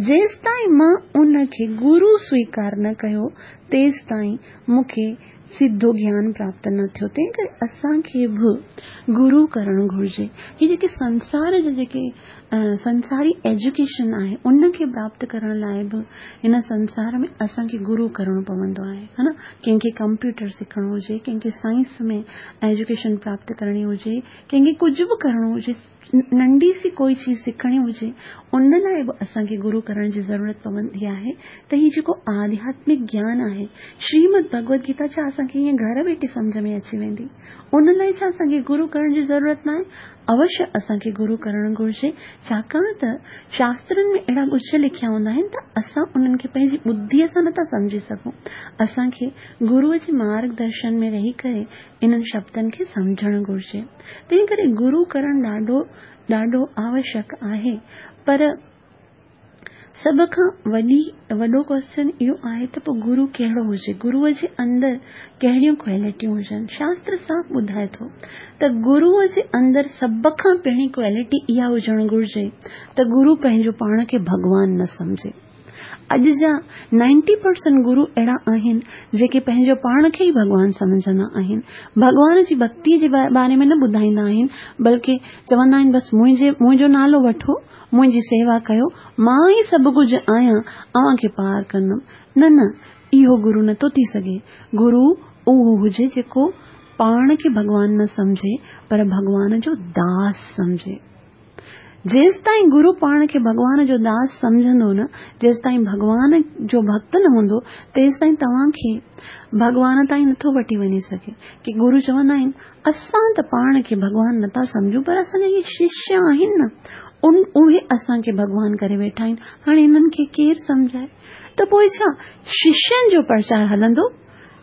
جيستائين مان ان کي گرو سويڪار نه ڪيو تيستائين مون کي سڌو گيان پراپت نه ٿيو. تنهن ڪري اسان کي به گرو ڪرڻ گهرجي. هي جيڪي سنسار جا جيڪي سنساري ايجوڪيشن آهي ان کي پراپت ڪرڻ لاءِ به هن سنسار ۾ اسان کي گرو ڪرڻو پوندو آهي، ها نه. ڪنهن کي ڪمپيوٽر سکڻو هجي، ڪنهن کي سائنس ۾ ايجوڪيشن پراپت ڪرڻي هجي، ڪنهن کي ڪجهه به ڪرڻو هجي، ننڍي سي ڪوئي چيز سکڻي هجي، ان لاءِ به اسان کي گرو ڪرڻ جي ضرورت پوندي آهي. ته هي جيڪو آڌياتمڪ گيان آهي، شريمد ڀڳوت گيتا ڇا اسان کي ائين گهر ويٺي سمجهه ۾ اچي ويندي؟ ان لاءِ ڇا اسان کي گرو ڪرڻ جي ضرورت نه آهي؟ اوشيه اسان کي گرو ڪرڻ گهرجي، ڇاڪاڻ ته شاسترن ۾ اهڙا ڳجهه لکيا هوندا آهن ته اسان انهن کي پنهنجي ٻڌيءَ سان نٿا سمجهي سگهون. اسان کي گروءَ جي مارگدرشن ۾ رهي ڪري انهن شبدن کي سمجهڻ گهرجي. تنهن ڪري گرو ڪرڻ ڏاڍو ڏاڍو آوشيڪ آهي. پر سڀ کان وڏي وڏو ڪوئسچن اهو آهي ته پوءِ گرو ڪهڙو هجي، گروءَ جي اندر ڪهڙيون ڪوالٽيون هجن؟ شاستر صاف ٻڌائي ٿو ته گروءَ جي اندر سڀ کان پهرين ڪوالٽي اها هجڻ گهرجي ته گرو پنهنجو پاڻ کي ڀڳوان نه سمجهي. اڄ جا نائنٽي پرسينٽ گرو اهڙا آهن جيڪي پنهنجو پاڻ کي ئي ڀڳوان سمجهندا آهن، ڀڳوان جي ڀڪتيءَ جي باري ۾ نه ٻڌائيندا آهن، بلڪه چوندا آهن بس منهنجي منهنجو نالو وٺو، منهنجي سيوا ڪيو، مان ئي سڀ ڪجهه آهيان، اوهان کي پار ڪندم. نه نه، اهو گرو نٿو ٿي سگهي. گرو اهو هجي جيڪو پاڻ کي ڀڳوان نه سمجهي پر ڀڳوان جو داس سمجهي. جيستائين گرو پاڻ کي ڀڳوان جو داس سمجهندو نه، جيستائين ڀڳوان جو ڀڪت نه هوندو، تيستائين توهان کي ڀڳوان تائين نٿو وٺي وڃي سگهي. ڪه گرو چوندا آهن اسان ته پاڻ کي ڀڳوان نٿا سمجهون، پر اسان جا اهي ششيه آهن نه، ان اهي اسان کي ڀڳوان ڪري ويٺا آهن، هاڻي هنن کي ڪير سمجهائي؟ ته پوءِ ڇا ششين جو پرچار هلندو؟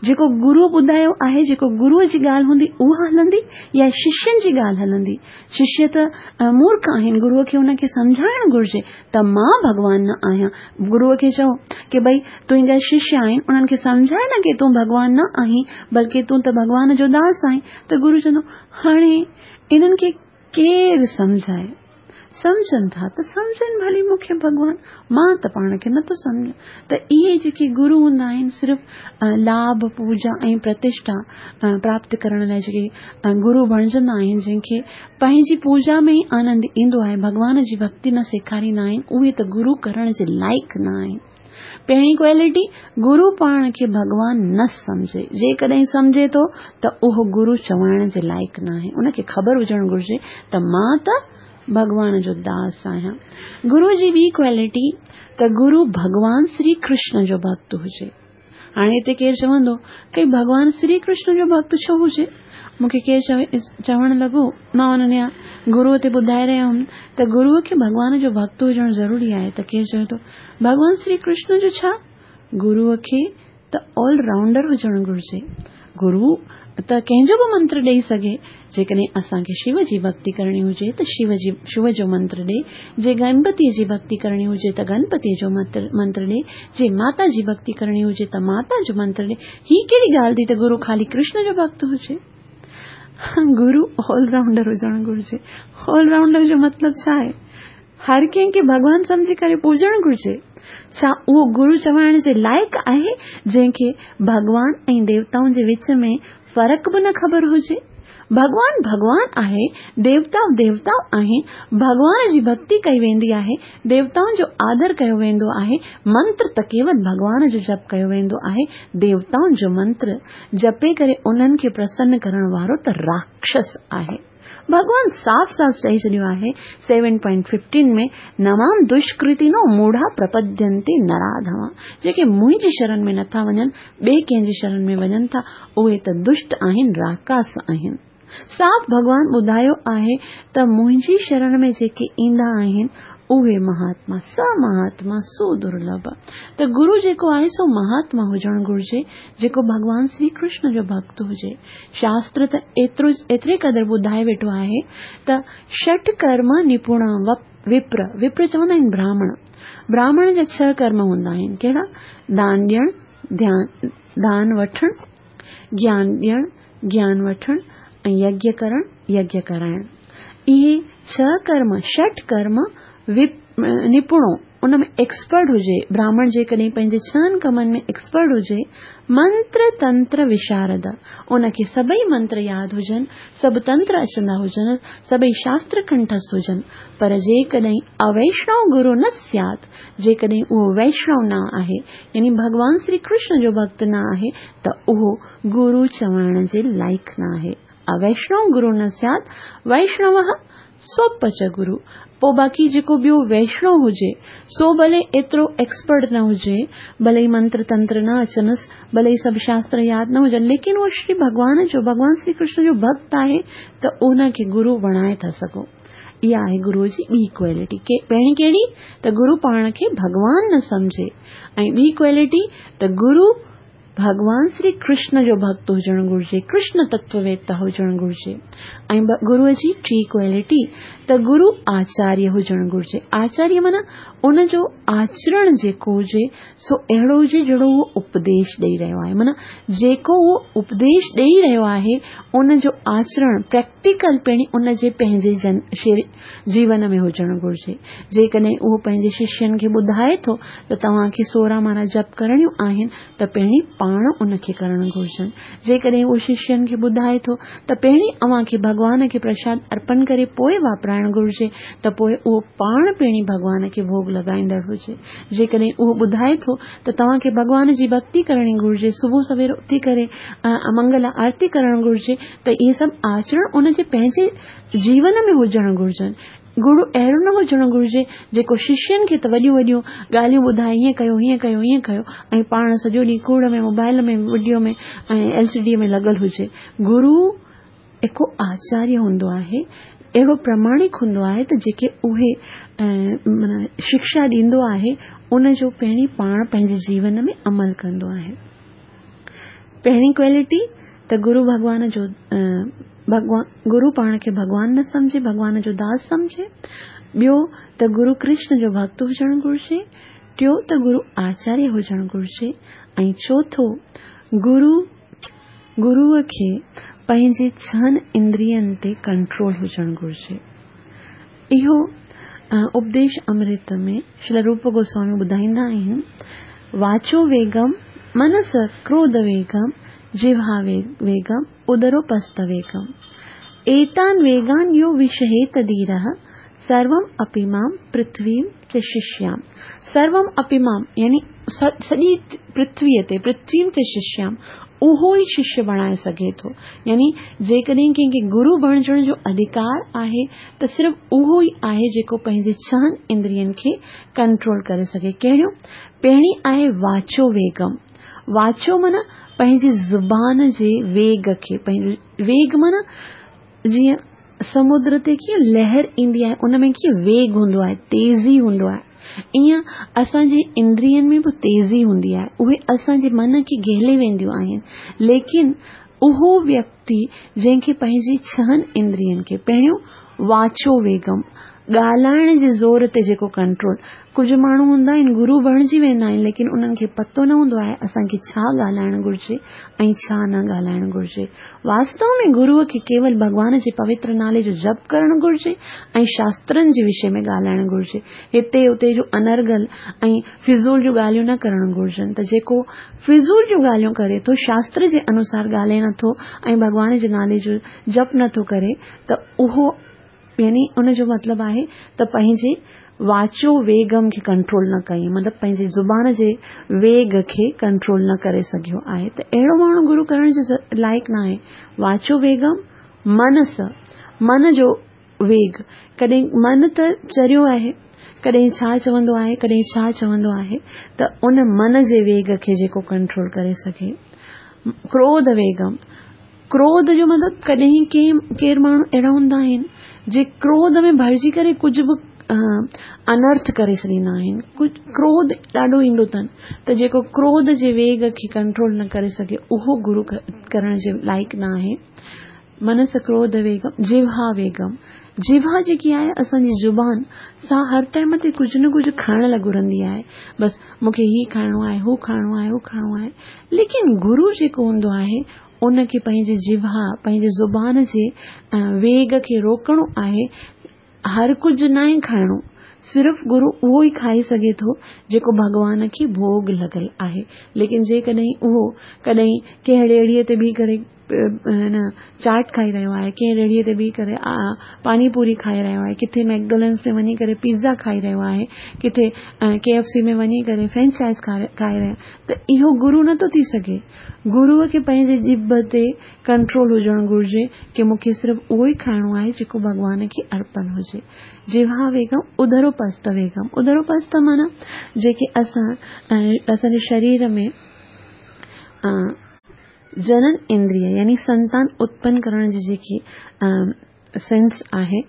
جيڪو گرو ٻڌايو آهي، جيڪو گروءَ جي ڳالهه هوندي اها هلندي يا ششين جي ڳالهه هلندي؟ ششيه ته مورک آهن، گروءَ کي هن کي سمجهائڻ گهرجي ته مان ڀڳوان نه آهيان. گروءَ کي چئو ڪه ڀئي تنهنجا ششيه آهن، انهن کي سمجهائي نه ڪه تون ڀڳوان نه آهين، بلڪه تون ته ڀڳوان جو داس آهين. ته گرو چوندو هاڻي انهن کي ڪير سمجهائي؟ सम्झनि था त सम्झनि भली मूंखे भॻवान, मां त पाण खे नथो सम्झां। त इहे जेके गुरू हूंदा आहिनि सिर्फ़ लाभ, पूजा ऐं प्रतिष्ठा प्राप्त करण लाइ जेके गुरू बणिजंदा आहिनि, जंहिंखे पंहिंजी पूजा में ई आनंद ईंदो आहे, भॻवान जी भक्ति न सेखारींदा आहिनि, उहे त गुरू करण जे लाइक़ न आहिनि। पहिरीं क्वालिटी, गुरू पाण खे भॻवान न सम्झे। जेकॾहिं सम्झे थो त उहो गुरू चवाइण जे लाइक़ न आहे। उनखे ख़बर हुजणु घुरिजे त मां त भॻवान जो दास आहियां। गुरू जी ॿी क्वालिटी त गुरू भॻवान श्री कृष्ण जो भक्त हुजे। हाणे हिते केरु चवंदो कई भॻवान श्री कृष्ण जो भक्त छो हुजे? मूंखे केरु चवे चवणु लॻो, मां हुननि गुरूअ ते ॿुधाए रहिया हुयुमि त गुरूअ खे भॻवान जो भक्त हुजणु ज़रूरी आहे। त केरु चवे थो भॻवान श्री कृष्ण जो छा? गुरूअ खे त ऑलराउंडर हुजणु घुरिजे। गुरू त कंहिंजो बि मंत्र ॾेई सघे। जेकॾहिं असांखे शिव जी भक्ति करणी हुजे त शिव जी शिव जो मंत्र ॾे, जे गणपतीअ जी भक्ति करणी हुजे त गणपतीअ जो मंत्र ॾे, जे माता जी भक्ति करणी हुजे त माता जो मंत्र ॾे। हीअ कहिड़ी ॻाल्हि थी त गुरू ख़ाली कृष्ण जो भक्त हुजे? गुरू ऑलराउंडर हुजणु घुरिजे। ऑलराउंडर जो मतिलबु छा आहे? हर कंहिंखे भॻवान सम्झी करे पूजणु घुरिजे। छा उहो गुरू चवाइण जे लाइक़ आहे जंहिंखे भॻवान ऐं देवताउनि जे विच में फ़र्क़ु बि न ख़बर हुजे? भॻवान भॻवान आहे, देवता देवता आहिनि। भॻवान जी भक्ति कई वेंदी आहे, देवताउनि जो आदर कयो वेंदो आहे, मंत्र त केवल भॻवान जो जप कयो वेंदो आहे। देवताउनि जो मंत्र जपे करे उन्हनि खे प्रसन्न करण वारो त राक्षस आहे। भॻवान साफ़ साफ़ चई छॾियो आहे सेवन पॉइंट फिफ्टीन में, नमाम दुष्कृतिनो मूढ़ा प्रपद्यन्ते नराधमा। जेके मुंहिंजी शरण में नथा वञनि, ॿिए कंहिंजी शरण में वञनि था, उहे त दुष्ट आहिनि, राकास आहिनि। साफ़ भॻवान ॿुधायो आहे त मुंहिंजी शरण में जेके ईंदा आहिनि उहे महात्मा, स महात्मा सो दुर्लभ। त गुरू जेको आहे सो महात्मा हुजणु घुरिजे, जेको भॻवान श्री कृष्ण जो भक्त हुजे। शास्त्र त एतिरो एतिरे क़दुरु ॿुधाए वेठो आहे त षट कर्म निपुण विप्र, विप्र चवंदा आहिनि ब्राह्मण। ब्राह्मण जा छह कर्म हूंदा आहिनि। कहिड़ा? दान ॾियणु, ध्यान दान वठणु, ज्ञान ॾियणु, ज्ञान वठणु ऐं यज्ञ करणु, यज्ञ कराइणु। इहे छह कर्म, षट कर्म विप निपुणो, उन में एक्सपर्ट हुजे। ब्राह्मण जेकॾहिं पंहिंजे छहनि कमनि में एक्सपर्ट हुजे, मंत्र तंत्र विशारद, उनखे सभई मंत्र यादि हुजनि, सभु तंत्र अचंदा हुजनि, सभई शास्त्र कंठस्थ हुजनि, पर जेकॾहिं अवैष्णव गुरू न स्यात्, जेकॾहिं उहो वैष्णव न आहे, यानी भॻवान श्री कृष्ण जो भक्त न आहे, त उहो गुरू चवण जे लाइक़ न आहे। अवैष्णव गुरू न स्यात्, वैष्णव सोपच गुरू। पोइ बाक़ी जेको ॿियो वैष्णव हुजे सो भले एतिरो एक्सपर्ट न हुजे, भले ई मंत्र तंत्र न अचनसि, भले ई सभु शास्त्र यादि न हुजनि, लेकिन उहो श्री भॻवान जो, भॻवान श्री कृष्ण जो भक्त आहे त उनखे गुरू बणाए था सघो। इहा आहे गुरूअ जी ॿी क्वालिटी। पहिरीं कहिड़ी? त गुरू पाण खे भॻवान न सम्झे, ऐं ॿी क्वालिटी त गुरू भॻवान श्री कृष्ण जो भक्त हुजणु घुरिजे, कृष्ण तत्ववेत्ता हुजणु घुरिजे। ऐं गुरूअ जी टी क्वालिटी त गुरू आचार्य हुजणु घुरिजे। आचार्य माना उन जो आचरण जेको हुजे सो अहिड़ो हुजे जहिड़ो उहो उपदेश ॾेई रहियो आहे, माना जेको उहो उपदेश ॾेई रहियो आहे उन जो आचरण प्रैक्टिकल पिणु उन जे पंहिंजे जन जीवन में हुजणु घुरिजे। जेकॾहिं उहो पंहिंजे शिष्यनि खे ॿुधाए थो त तव्हांखे सोरहं माला जप करणियूं आहिनि त पहिरीं पाण उनखे करणु घुरिजनि। जेकॾहिं उहो शिष्यनि खे ॿुधाए थो त पहिरीं अव्हांखे भॻवान खे प्रसाद अर्पण करे पोइ वापराइणु घुरिजे, त पोइ उहो पाण पहिरीं भॻवान खे भोग लॻाईंदड़ हुजे। जेकॾहिं उहो ॿुधाए थो त तव्हांखे भॻवान जी भक्ति करणी घुरिजे, सुबुह सवेर उथी करे मंगल आरती करणु घुरिजे, त इहे सभु आचरण उनजे पंहिंजे जीवन में हुजणु घुरिजनि। गुरू अहिड़ो न हुजणु घुरिजे जेको शिष्यनि खे त वॾियूं वॾियूं ॻाल्हियूं ॿुधाए, हीअं कयो हीअं कयो हीअं कयो, ऐं पाण सॼो ॾींहुं कूड़ में, मोबाइल में, वीडियो में ऐं एल सी डी में लॻल हुजे। गुरू हिकु आचार्य हूंदो आहे, अहिड़ो प्रमाणिक हूंदो आहे त जेके उहे माना शिक्षा ॾींदो आहे उन जो पहिरीं पाण पंहिंजे जीवन में अमल कंदो आहे। पहिरीं क्वालिटी त गुरू भॻवान जो भॻवान गुरू पाण खे भॻवान न सम्झे, भॻवान जो दास सम्झे। ॿियो त गुरू कृष्ण जो भक्त हुजणु घुरिजे। टियों त गुरू आचार्य हुजणु घुरिजे। ऐं चोथों गुरू गुरूअ खे पंहिंजे छहनि इंद्रियनि ते कंट्रोल हुजणु घुरिजे। इहो उपदेश अमृत में श्रील रूप गोस्वामी ॿुधाईंदा आहिनि, वाचो वेगम मनस क्रोध वेगम जिह्वा वेगम उदरोपस्थ वेगम एतान वेगान यो विषहेत धीरः सर्वम अपि मां पृथ्वीं च शिष्याम। सर्वम अपि मां यानी सॼी पृथ्वीअ ते पृथ्वीं च शिष्याम उहो ई शिष्य बणाए सघे थो। यानी जेकॾहिं कंहिंखे गुरू बणिजण जो अधिकार आहे त सिर्फ़ उहो ई आहे जेको पंहिंजे छहनि इंद्रियनि खे कंट्रोल करे सघे। कहिड़ियों? पहिरीं आहे वाचो वेगम। वाचो माना पंहिंजी ज़ुबान जे वेग खे, पंहिंजो वेग माना जीअं समुद्र ते कीअं लहर ईंदी आहे उन में कीअं वेग हूंदो आहे, तेज़ी हूंदो आहे, ईअं असांजे इंद्रियनि में बि तेज़ी हूंदी आहे, उहे असांजे मन खे घेले वेंदियूं आहिनि। लेकिन उहो व्यक्ति जंहिंखे पंहिंजी छहनि इंद्रियनि खे, पहिरियों वाचो वेगम, ॻाल्हाइण जे ज़ोर ते जेको कंट्रोल। कुझु माण्हू हूंदा आहिनि गुरू बणिजी वेंदा आहिनि लेकिन उन्हनि खे पतो न हूंदो आहे असांखे छा ॻाल्हाइणु घुरिजे ऐं छा न ॻाल्हाइणु घुरिजे। वास्तव में गुरूअ खे केवल भॻवान जे पवित्र नाले जो जप करणु घुरिजे ऐं शास्त्रनि जे विषय में ॻाल्हाइणु घुरिजे। हिते हुते जो अनर्गल ऐं फिज़ूल जूं ॻाल्हियूं न करणु घुरिजनि। त जेको फिज़ूल जूं ॻाल्हियूं करे थो, शास्त्र जे अनुसार ॻाल्हाए नथो ऐं भॻवान जे नाले जो जप नथो करे त उहो यानी उन जो मतिलबु आहे त पंहिंजे वाचो वेगम खे कंट्रोल न कई, मतिलबु पंहिंजी ज़ुबान जे वेग खे कंट्रोल न करे सघियो आहे। त अहिड़ो माण्हू गुरू करण जे लाइक़ न आहे। वाचो वेगम मनस, मन जो वेग, कॾहिं मन त चरियो आहे, कॾहिं छा चवंदो आहे कॾहिं छा चवंदो आहे, त उन मन जे वेग खे जेको कंट्रोल करे सघे। क्रोध वेगम, क्रोध जो मतिलबु कॾहिं कंहिं केरु माण्हू अहिड़ा हूंदा आहिनि जे क्रोध में भरिजी करे कुझु बि अनर्थ करे छॾींदा आहिनि, कुझु क्रोध ॾाढो ईंदो अथनि, त जेको क्रोध जे वेग खे कंट्रोल न करे सघे उहो गुरू करण जे लाइक़ न आहे। मनस क्रोध वेगम जिह्वा वेगम, जिह्वा जेकी आहे असांजी ज़ुबान सा हर टाइम ते कुझु न कुझु खाइण लाइ घुरंदी आहे, बसि मूंखे हीउ खाइणो आहे, हू खाइणो आहे, हू खाइणो आहे। लेकिन गुरू जेको हूंदो आहे उनखे पंहिंजी जिह्वा, पंहिंजी ज़ुबान जे वेग खे रोकणो आहे। हर कुझु न आहे खाइणो, सिर्फ़ गुरू उहो ई खाई सघे थो जेको भॻवान खे भोग लॻल आहे। लेकिन जेकॾहिं उहो कॾहिं कंहिं रेड़ीअ ते बीह करे न चाट खाई रहियो आहे, कंहिं रेड़ीअ ते बीह करे पानीपूरी खाई रहियो आहे, किथे मैकडोनल्ड्स में वञी करे पिज़्ज़ा खाई रहियो आहे, किथे के एफ सी में वञी करे फ्रेंच फ्राइज़ खाई रहियो, त इहो गुरू नथो थी सघे। गुरूअ खे पंहिंजे ॼिभ ते कंट्रोल हुजणु घुरिजे की मूंखे सिर्फ़ उहो ई खाइणो आहे जेको भॻवान खे अर्पण हुजे। जिह्वा वेगम उदरोपस्थ वेगम, उदरोपस्थ माना जेके असां असांजे शरीर में जनन इंद्रिय यानी संतान उत्पन्न करण जी जेकी सेंस आहे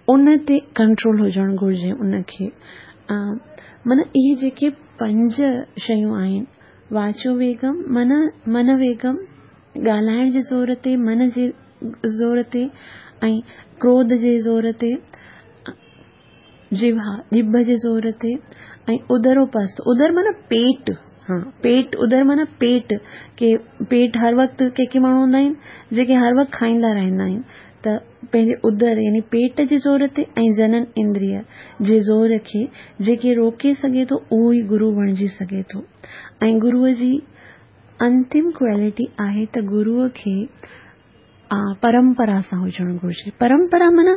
उन ते कंट्रोल हुजणु घुरिजे उनखे। माना इहे जेके पंज शयूं आहिनि, वाचो वेगम, मन मन वेगम, ॻाल्हाइण जे ज़ोर ते, मन जे ज़ोर ते ऐं क्रोध जे ज़ोर ते, जिह्वा ॼिभ जे ज़ोर ते ऐं उदरोपस्थ, उदर माना पेट, हा पेट, उदर माना पेट, के पेट हर वक़्तु के के माण्हू हूंदा आहिनि जेके हर वक़्तु खाईंदा रहंदा आहिनि, त पंहिंजे उदर यानी पेट जे ज़ोर ते ऐं जनन इंद्रिय जे ज़ोर खे जेके रोके सघे थो उहो ई गुरू बणिजी सघे थो। ऐं गुरूअ जी अंतिम क्वालिटी आहे त गुरूअ खे परंपरा सां हुजणु घुरिजे। परंपरा माना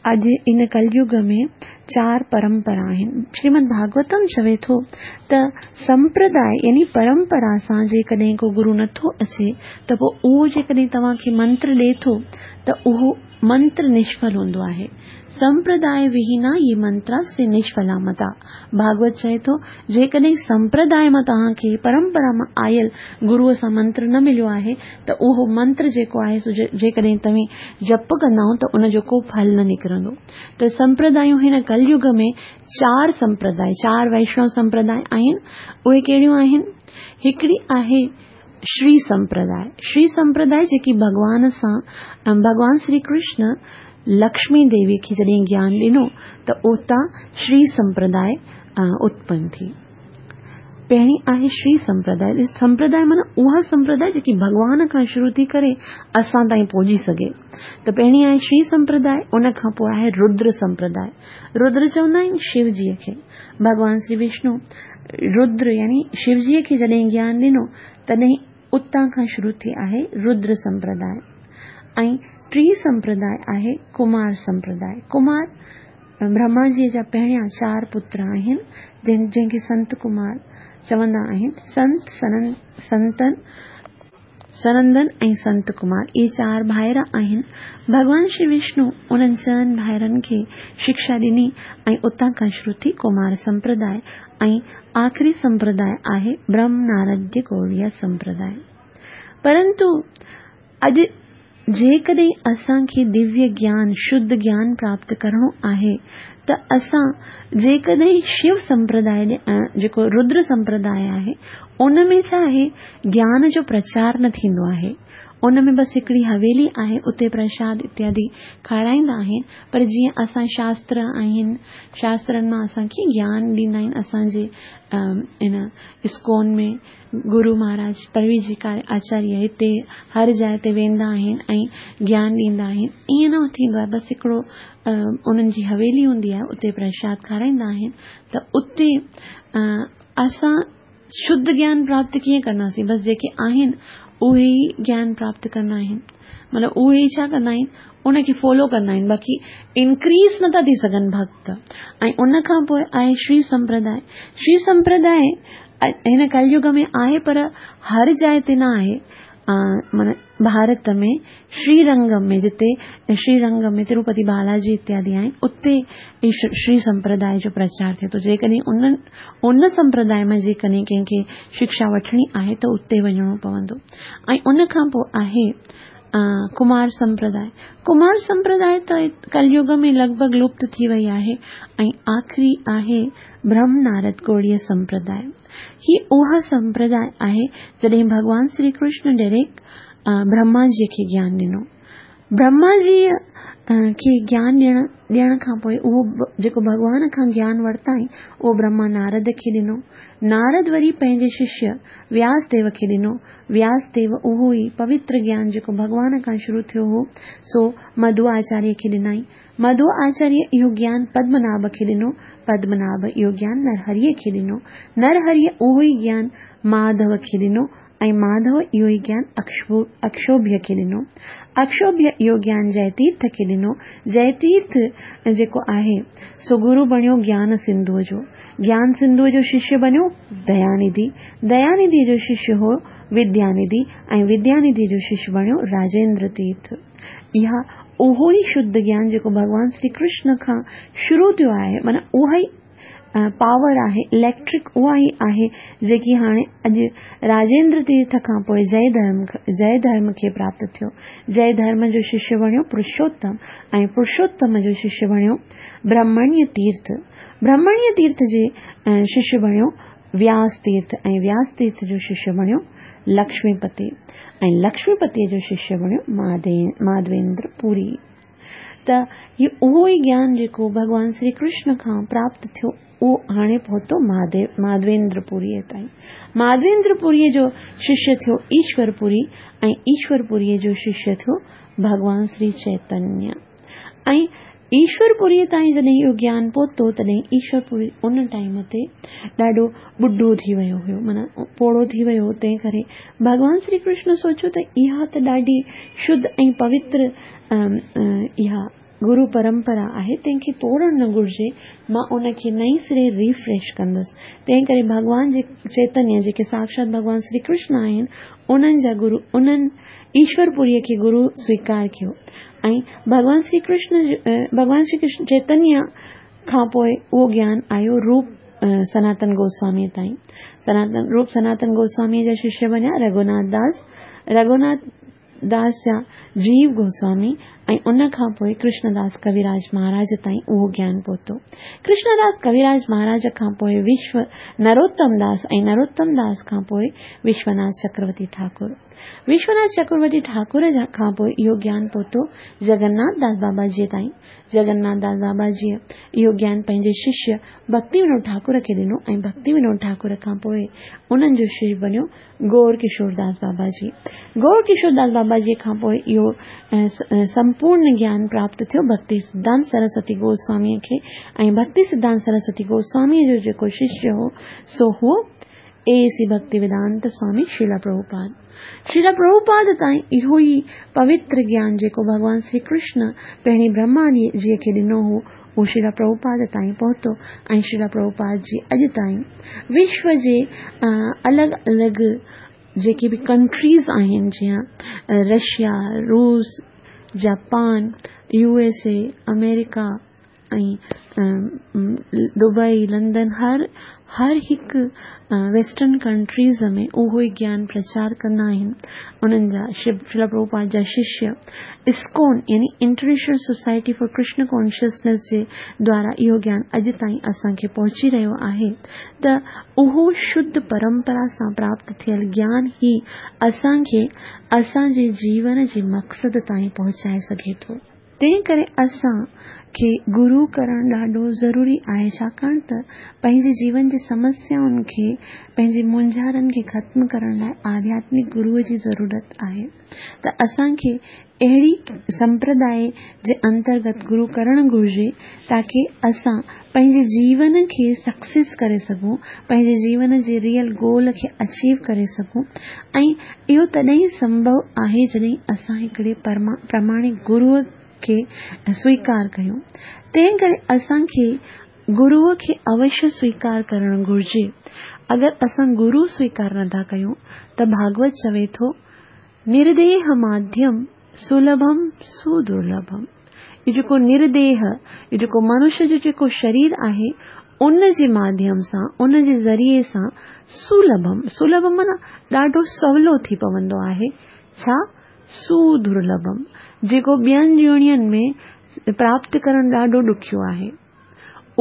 अॼु इन कलयुग में चार परंपरा आहिनि। श्रीमद् भागवतम चवे थो त संप्रदाय यानी परंपरा सां जेकॾहिं को गुरू नथो अचे त पोइ उहो जेकॾहिं तव्हांखे मंत्र ॾिए थो त उहो मंत्र निष्फल हूंदो आहे। संप्रदाय विहीना ये मंत्रा से निष्फला मता। भागवत चए थो जेकॾहिं संप्रदाय मां तव्हांखे परंपरा मां आयल गुरूअ सां मंत्र न मिलियो आहे त उहो मंत्र जेको आहे सो जेकॾहिं तव्हीं जप कंदा त उनजो को फल न निकिरंदो। त संप्रदायूं हिन कलयुग में चार संप्रदाय, चार वैष्णव संप्रदाय आहिनि। उहे कहिड़ियूं आहिनि? हिकिड़ी आहे श्री संप्रदाय। श्री संप्रदाय जेकी भॻवान सां, भॻवान श्री कृष्ण लक्ष्मी देवी खे जॾहिं ज्ञान ॾिनो त उतां श्री संप्रदाय उत्पन्न थी। पहिरीं आहे श्री संप्रदाय। संप्रदाय माना उहा संप्रदाय जेकी भॻवान खां शुरू थी करे असां ताईं पहुची सघे। त पहिरीं आहे श्री संप्रदाय, उन खां पोइ आहे रुद्र संप्रदाय। रुद्र चवंदा आहिनि शिवजीअ खे। भॻवान श्री विष्णु रुद्र यानी शिवजीअ खे जॾहिं ज्ञान ॾिनो तॾहिं उतां खां शुरू थी आहे रुद्र संप्रदाय। ऐं टी संप्रदाय आहे कुमार संप्रदाय। कुमार ब्रह्मा जीअ जा पहिरियां चारि पुत्र आहिनि जंहिंखे संत कुमार चवंदा आहिनि। संत सनन संतन सनंदन ऐं संत कुमार इहे चारि भाइर आहिनि। भॻवान श्री विष्णु उन्हनि चइनि भाइरनि खे शिक्षा ॾिनी ऐं उतां खां शुरू थी कुमार संप्रदाय। ऐं आख़िरी संप्रदाय आहे ब्रह्म नारद गौड़िया संप्रदाय। परंतु अॼु जेकॾहिं असांखे दिव्य ज्ञान शुद्ध ज्ञान प्राप्त करिणो आहे त असां जेकॾहिं शिव संप्रदाय जेको रुद्र संप्रदाय आहे उन में छा आहे ज्ञान जो प्रचार न थींदो आहे। उन में बसि हिकिड़ी हवेली आहे उते प्रसाद इत्यादि खाराईंदा आहिनि, पर जीअं असां शास्त्र आहिनि शास्त्रनि मां असांखे ज्ञान ॾींदा आहिनि। असांजे इन इस्कॉन में गुरु महाराज परवीजिकार आचार्य हिते हर जाइ ते वेंदा आहिनि ऐं ज्ञान ॾींदा आहिनि। ईअं न थींदो आहे, बसि हिकिड़ो उन्हनि जी हवेली हूंदी आहे उते प्रसाद खाराईंदा आहिनि। त उते असां शुद्ध ज्ञान प्राप्त कीअं कंदासीं? बसि जेके आहिनि उहे ई ज्ञान प्राप्त कंदा आहिनि, मतिलबु उहे ई छा कंदा आहिनि उनखे फॉलो कंदा आहिनि, बाक़ी इनक्रीज़ नथा थी सघनि भक्त। ऐं उन खां पोइ आहे श्री संप्रदाय। श्री संप्रदाय हिन कलयुग में आहे पर हर जाइ ते न आहे। माना भारत में श्रीरंगम में जिते श्रीरंगम में तिरुपति बालाजी इत्यादि आहिनि उते श्री संप्रदाय जो प्रचार थिए थो। जेकॾहिं उन उन संप्रदाय में जेकॾहिं कंहिंखे शिक्षा वठिणी आहे त उते वञिणो पवंदो। ऐं उन खां पोइ आहे कुमार संप्रदाय। कुमार संप्रदाय त कलयुग में लॻभॻि लुप्त थी वई आहे। ऐं आख़िरी आहे ब्रह्म नारद गौड़ीय संप्रदाय। ही उहा संप्रदाय आहे जॾहिं भॻवान श्री कृष्ण डायरेक्ट ब्रह्मा जीअ खे ज्ञान ॾिनो। ब्रह्मा जीअ खे ज्ञान ॾियण ॾियण खां पोइ उहो जेको भॻवान खां ज्ञान वरिताईं उहो ब्रह्मा नारद खे ॾिनो। नारद वरी पंहिंजे शिष्य व्यासदेव खे ॾिनो। व्यासदेव उहो ई पवित्र ज्ञान जेको भॻवान खां शुरू थियो हो सो मधु आचार्य खे ॾिनाईं। मधु आचार्य इहो ज्ञान पद्मनाभ खे ॾिनो। पद्मनाभ इहो ज्ञान नरहरिअ खे ॾिनो। नरहरिअ उहो ई ज्ञान माधव खे ॾिनो ऐं माधव इहो ई ज्ञान अक्षोभ्य खे ॾिनो। अक्षोभ्य इहो ज्ञान जयतीर्थ खे ॾिनो। जयतीर्थ जेको आहे सो गुरु बणियो ज्ञान सिंधुअ जो। ज्ञान सिंधुअ जो शिष्य बणियो दयानिधि। दयानिधि जो शिष्य हो विद्यानिधि ऐं विद्यानिधि जो शिष्य बणियो राजेंद्र तीर्थ। इहा उहो ई शुद्ध ज्ञान जेको भॻवान श्री कृष्ण खां शुरू थियो आहे, माना उहा ई पावर आहे, इलेक्ट्रिक उहा ई आहे जेकी हाणे अॼु राजेंद्र तीर्थ खां पोइ जय धर्म जय धर्म खे प्राप्त थियो। जय धर्म जो शिष्य बणियो पुरुषोत्तम ऐं पुरुषोत्तम जो शिष्य बणियो ब्रह्मण्य तीर्थ। ब्रह्मण्य तीर्थ जे शिष्य बणियो व्यास तीर्थ ऐं व्यास तीर्थ जो शिष्य बणियो लक्ष्मीपति ऐं लक्ष्मीपतीअ जो शिष्य बणियो माधवेंद्र पुरी। त इहो उहो ई ज्ञान जेको भॻवान श्री कृष्ण खां प्राप्त थियो उहो हाणे पहुतो माधवेंद्र पुरीअ ताईं। माधवेंद्र पुरीअ जो शिष्य थियो ईश्वरपुरी ऐं ईश्वरपुरीअ जो शिष्य थियो भॻवान श्री चैतन्य। ऐं ईश्वरपुरीअ ताईं जॾहिं इहो ज्ञान पहुतो तॾहिं ईश्वरपुरी उन टाइम ते ॾाढो ॿुढो थी वियो हुयो, माना पोड़ो थी वियो हो। तंहिं करे भॻवान श्री कृष्ण सोचियो त इहा त ॾाढी शुद्ध ऐं पवित्र इहा गुरु परंपरा आहे, तंहिंखे तोड़णु न घुर्जे, मां उनखे नई सिरे रिफ्रेश कंदुसि। तंहिं करे भॻवान जे चैतन्य जेके साक्षात भॻवान श्री कृष्ण आहिनि उन्हनि जा गुरु उन्हनि ईश्वरपुरीअ खे गुरु स्वीकार कयो ऐं भॻवान श्री कृष्ण भॻवान श्री कृष्ण चैतन्य खां पोइ उहो ज्ञान आयो रूप सनातन गोस्वामीअ ताईं। सनातन रूप सनातन गोस्वामीअ जा शिष्य बणिया रघुनाथ दास, रघुनाथ दास जा जीव गोस्वामी ऐं उन खां पोइ कृष्णदास कविराज महाराज ताईं उहो ज्ञान पहुतो। कृष्णदास कविराज महाराज खां पोइ विश्व नरोत्तम दास ऐं नरोत्तम दास खां पोइ विश्वनाथ चक्रवर्ती ठाकुर। وشوناٿ چڪرورتي ٺاڪر کان پوءِ اهو گيان پهتو جگناٿ داس بابا جيءَ تائين. جگناٿ داس بابا جيءَ اهو گيان پنهنجي ششيه ڀڪتي ونود ٺاڪر کي ڏنو ۽ ڀڪتي ونود ٺاڪر کان پوءِ انهن جو ششيه بڻيو گور ڪشور داس بابا جي. گور ڪشور داس بابا جيءَ کان پوءِ اهو سمپورڻ گيان پراپت ٿيو ڀڪتي سڌانت سرسوتي گوسواميءَ کي ۽ ڀڪتي سڌانت سرسوتي گوسواميءَ جو جيڪو ششيه هو سو هو اي سي ڀڪتي ويدانت سوامي شريلا پرڀوپاد. شريلا پرڀوپاد تائين اهو ئي پوتر گيان جيڪو ڀڳوان شري ڪرشن پهرين برهما جيءَ کي ڏنو هو اهو شريلا پرڀوپاد تائين پهتو ۽ شريلا پرڀوپاد جي اڄ تائين وشو جي الڳ الڳ جيڪي به ڪنٽريز آهن جيئن رشيا، روس، جاپان، يو ايس اي، آمريڪا ۽ دبئي، لنڊن، هر هر هڪ ويسٽرن ڪنٽريز ۾ اهو ئي گيان پرچار ڪندا آهن. انهن جا شريلا پرڀوپاد جا ششيه اسڪون يعني international society for Krishna consciousness جي دوارا اهو گيان اڄ تائين اسان کي پهچي رهيو آهي ته اهو شڌ پرمپرا سان پراپت ٿيل گيان ئي اسان کي اسان جي جيون جي مقصد تائين پهچائي سگهي ٿو. تنهن ڪري اسان کي گرو ڪرڻ ڏاڍو ضروري آهي، ڇاڪاڻ ته پنهنجي جيون جي سمسيائن کي، پنهنجي مونجهارن کي ختم ڪرڻ لاءِ آڌياتمڪ گروءَ جي ضرورت آهي. ته اسان کي اهڙي سمپرداءِ جي انترگت گرو ڪرڻ گهرجي تاڪه اسان پنهنجي جيون کي سڪسيس ڪري سگهون، پنهنجي جيون جي ريئل گول کي اچيو ڪري سگهون. ۽ اهو تڏهن سنڀو آهي جڏهن اسان هڪڙي پرماڻڪ گروءَ کي سويڪار ڪيون. تنهن ڪري اسان کي گروءَ کي اوشيه سويڪار ڪرڻ گهرجي. اگر اسان گرو سويڪار نٿا ڪيون ته ڀاڳوت چوي ٿو نرديهه ماڌيم سلڀم سدرلڀم. اهو جيڪو نرديهه، اهو جيڪو منشيه جو جيڪو شرير آهي ان جي ماڌيم سان، ان جي ذريعي سان سلڀم، سلڀم معنيٰ ڏاڍو سولو ٿي پوندو آهي. ڇا؟ سدرلڀم، جيڪو ٻين جوڻين ۾ پراپت ڪرڻ ڏاڍو ڏکيو آهي.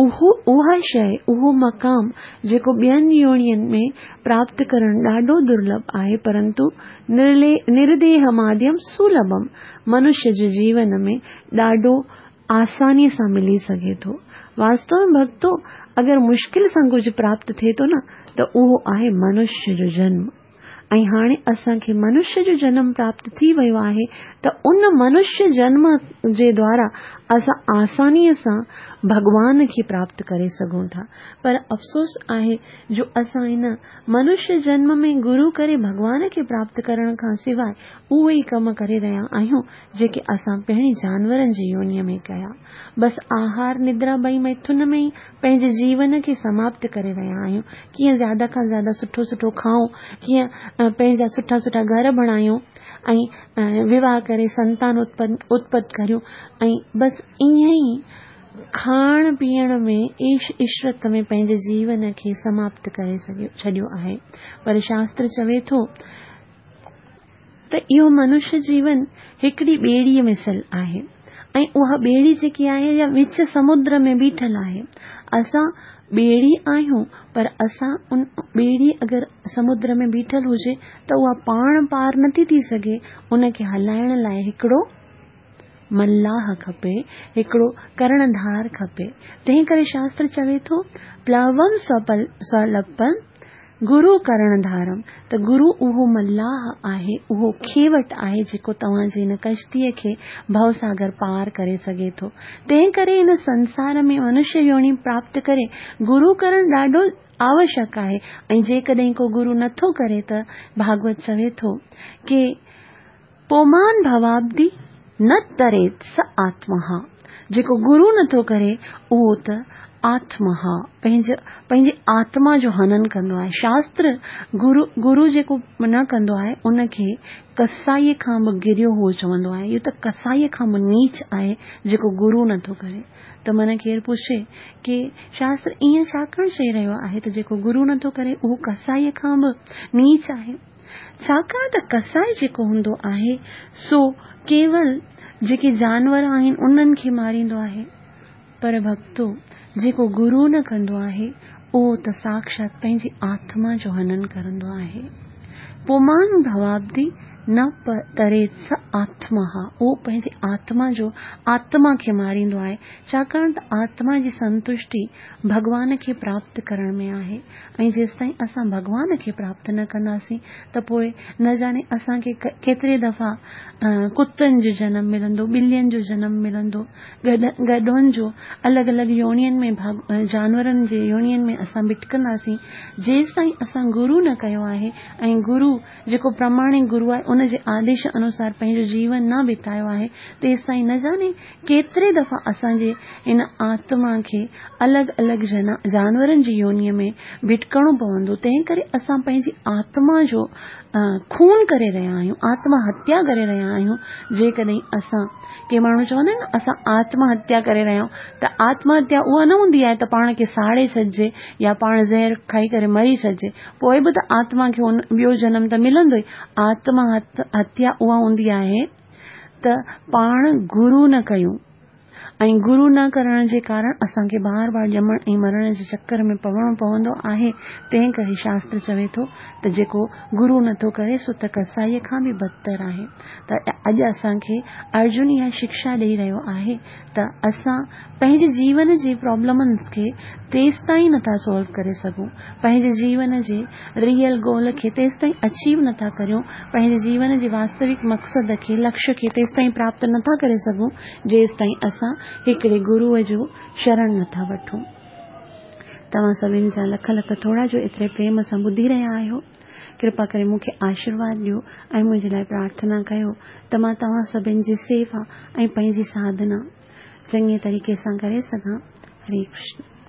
اهو اها شيءِ، اهو مقام جيڪو ٻين يونين ۾ پراپت ڪرڻ ڏاڍو درلڀ آهي، پرنتو نرديهه ماڌيم سلڀم منشيه جي جيون ۾ ڏاڍو آسانيءَ سان ملي سگهي ٿو. واستو ۾ ڀڳتو اگر مشڪل سان ڪجهه پراپت ٿئي ٿو نه ته اهو آهي منشيه جو جنم. ۽ هاڻي اسان کي منشيه جو جنم پراپت ٿي ويو آهي ته ان منشيه جنم جي دوارا اسان آسانيءَ سان ڀڳوان کي پراپت ڪري سگهون ٿا. پر افسوس آهي جو اسان هن منشيه جنم ۾ گرو ڪري ڀڳوان کي پراپت ڪرڻ کان سواءِ اهي ئي ڪم ڪري رهيا آهيون جيڪي اسان پهرين جانورن جي يونيءَ ۾ ڪيا. بس آهار، ندرا ٻئي ميٿن ۾ ئي پنهنجي جيون کي سماپت ڪري رهيا آهيون. ڪيئن زياده کان زياده سٺو سٺو کائون، ڪيئن پنهنجا سٺا سٺا گهر بڻايون ۽ وواهه ڪري سنتان اتپن ڪريون ۽ بس ائين ئي کائڻ پيئڻ ۾ عيش عشرت ۾ پنهنجي جيون کي سماپت ڪري ڇڏيو آهي. پر شاستر چوي ٿو ته اهو منشيه جيون هڪڙي ٻيڙيءَ مثل آهي ۽ اها ٻيڙي جيڪي آهي اها وچ سمدر ۾ بيٺل آهي. اسان ٻيڙي آهيون پر اسان ان ٻيڙي اگر سمدر ۾ بيٺل هجي ته اها پاڻ پار نٿي ٿي سگهي. ان کي هلائڻ لاءِ هڪڙو ملاح کپي، هڪڙو ڪرڻڌار کپي. تنهن ڪري شاستر چوي ٿو پلوم سولپم گرو ڪرڻڌارم، ته گرو اهو ملاح آهي، اهو کيوٽ آهي جيڪو توهان جي هن ڪشتيءَ کي ڀوساگر پار ڪري سگهي ٿو. تنهن ڪري هن سنسار ۾ منشيه يوني پراپت ڪري گرو ڪرڻ ڏاڍو آوشيڪ آهي. ۽ جيڪڏهن ڪو گرو نٿو ڪري ته ڀاڳوت چوي ٿو ڪه پومان ڀوابدي نه تريت س آتمها، جيڪو گرو نٿو ڪري اهو ته آتمها پنهنجي پنهنجي آتما جو هنن ڪندو آهي. شاستر گرو گرو جيڪو نه ڪندو آهي ان کي ڪسائيءَ کان به گريو هو چوندو آهي. اهو ته ڪسائيءَ کان به نيچ آهي جيڪو گرو نٿو ڪري. ته من ڪير پڇي ڪه شاستر ائين ڇاڪاڻ چئي رهيو آهي ته جيڪو گرو نٿو ڪري اهو ڪسائيءَ کان به نيچ آهي؟ ڇاڪاڻ ته ڪسائي جيڪو هوندو آهي سو ڪيول جيڪي جانور آهن انهن کي ماريندو آهي، پر ڀڳتو جيڪو گرو نه ڪندو آهي اهو ته ساڪشات پنهنجي آتما جو هنن ڪندو آهي. پومان ڀوابدي نه تريت س آتما، اهو پنهنجي آتما جو آتما کي ماريندو آهي، ڇاڪاڻ ته آتما جي سنتشٽي ڀڳوان کي پراپت ڪرڻ ۾ آهي ۽ جيستائين اسان ڀڳوان کي پراپت نه ڪنداسين ته پوء نه ڄاڻي اسان کي ڪيتري دفعا ڪتن جو جنم ملندو، ٻلين جو جنم ملندو، گڏهن جو، الڳ الڳ يونين ۾ جانورن جي يونين ۾ اسان ڀٽڪنداسين، جيستائين اسان گرو نه ڪيو آهي ۽ گرو جيڪو پرماڻڪ گرو آهي ان جي آديش انوسار پنهنجو جيون نه بتايو آهي، تيستائين نه ڄاڻي ڪيتري دفعا اسان جي ان آتما کي الڳ الڳ جانورن جي يونيء ۾ ڀٽڪڻو پوندو. تنهن ڪري اسان پنهنجي آتما جو خون ڪري رهيا آهيون، آتما هتيا ڪري رهيا آهيون. جيڪڏهن اسان، ڪي ماڻهو چوندا آهن نه اسان آتما هتيا ڪري رهيا آهيون، ته آتما هتيا اها نه هوندي آهي ته پاڻ کي ساڙي ڇڏجي يا پاڻ زهر کائي ڪري مري ڇڏجي، پوء به ته آتما کي ٻيو جنم ته ملندو ئي. آتما هتيا اها هوندي آهي ته پاڻ گرو نه ڪيون ۽ گرو نه ڪرڻ جي ڪارڻ اسان کي بار بار ڄمڻ ۽ مرڻ جي چڪر ۾ پوڻو پوندو آهي. تنهن ڪري شاستر چوي ٿو ته جيڪو گرو نٿو ڪري سو ته ڪسائيء کان به بدتر آهي. ته اڄ اسان کي ارجن اها شڪشا ڏئي رهيو آهي ته اسان پنهنجي جيون جي پرابلمز کي تيستائين نٿا سالو ڪري سگهون، پنهنجي جيون جي ريئل گول کي تيستائين اچيو نٿا ڪريون، پنهنجي جيون جي واستوڪ مقصد کي، لڪشيه کي تيستائين پراپت نٿا ڪري سگهون، جيستائين اسان هڪڙي گروء جو شرڻ نٿا وٺون. توهان سڀني جا لک لک ٿورا جو ايتري پريم سان ٻڌي رهيا آهيو. ڪرپا ڪري مون کي آشيرواد ڏيو ۽ منهنجي لاء پرارٿنا ڪيو ته مان توهان سڀني جي سيوا ۽ پنهنجي ساڌنا چڱي طريقي سان ڪري سگهان. هري ڪرشن.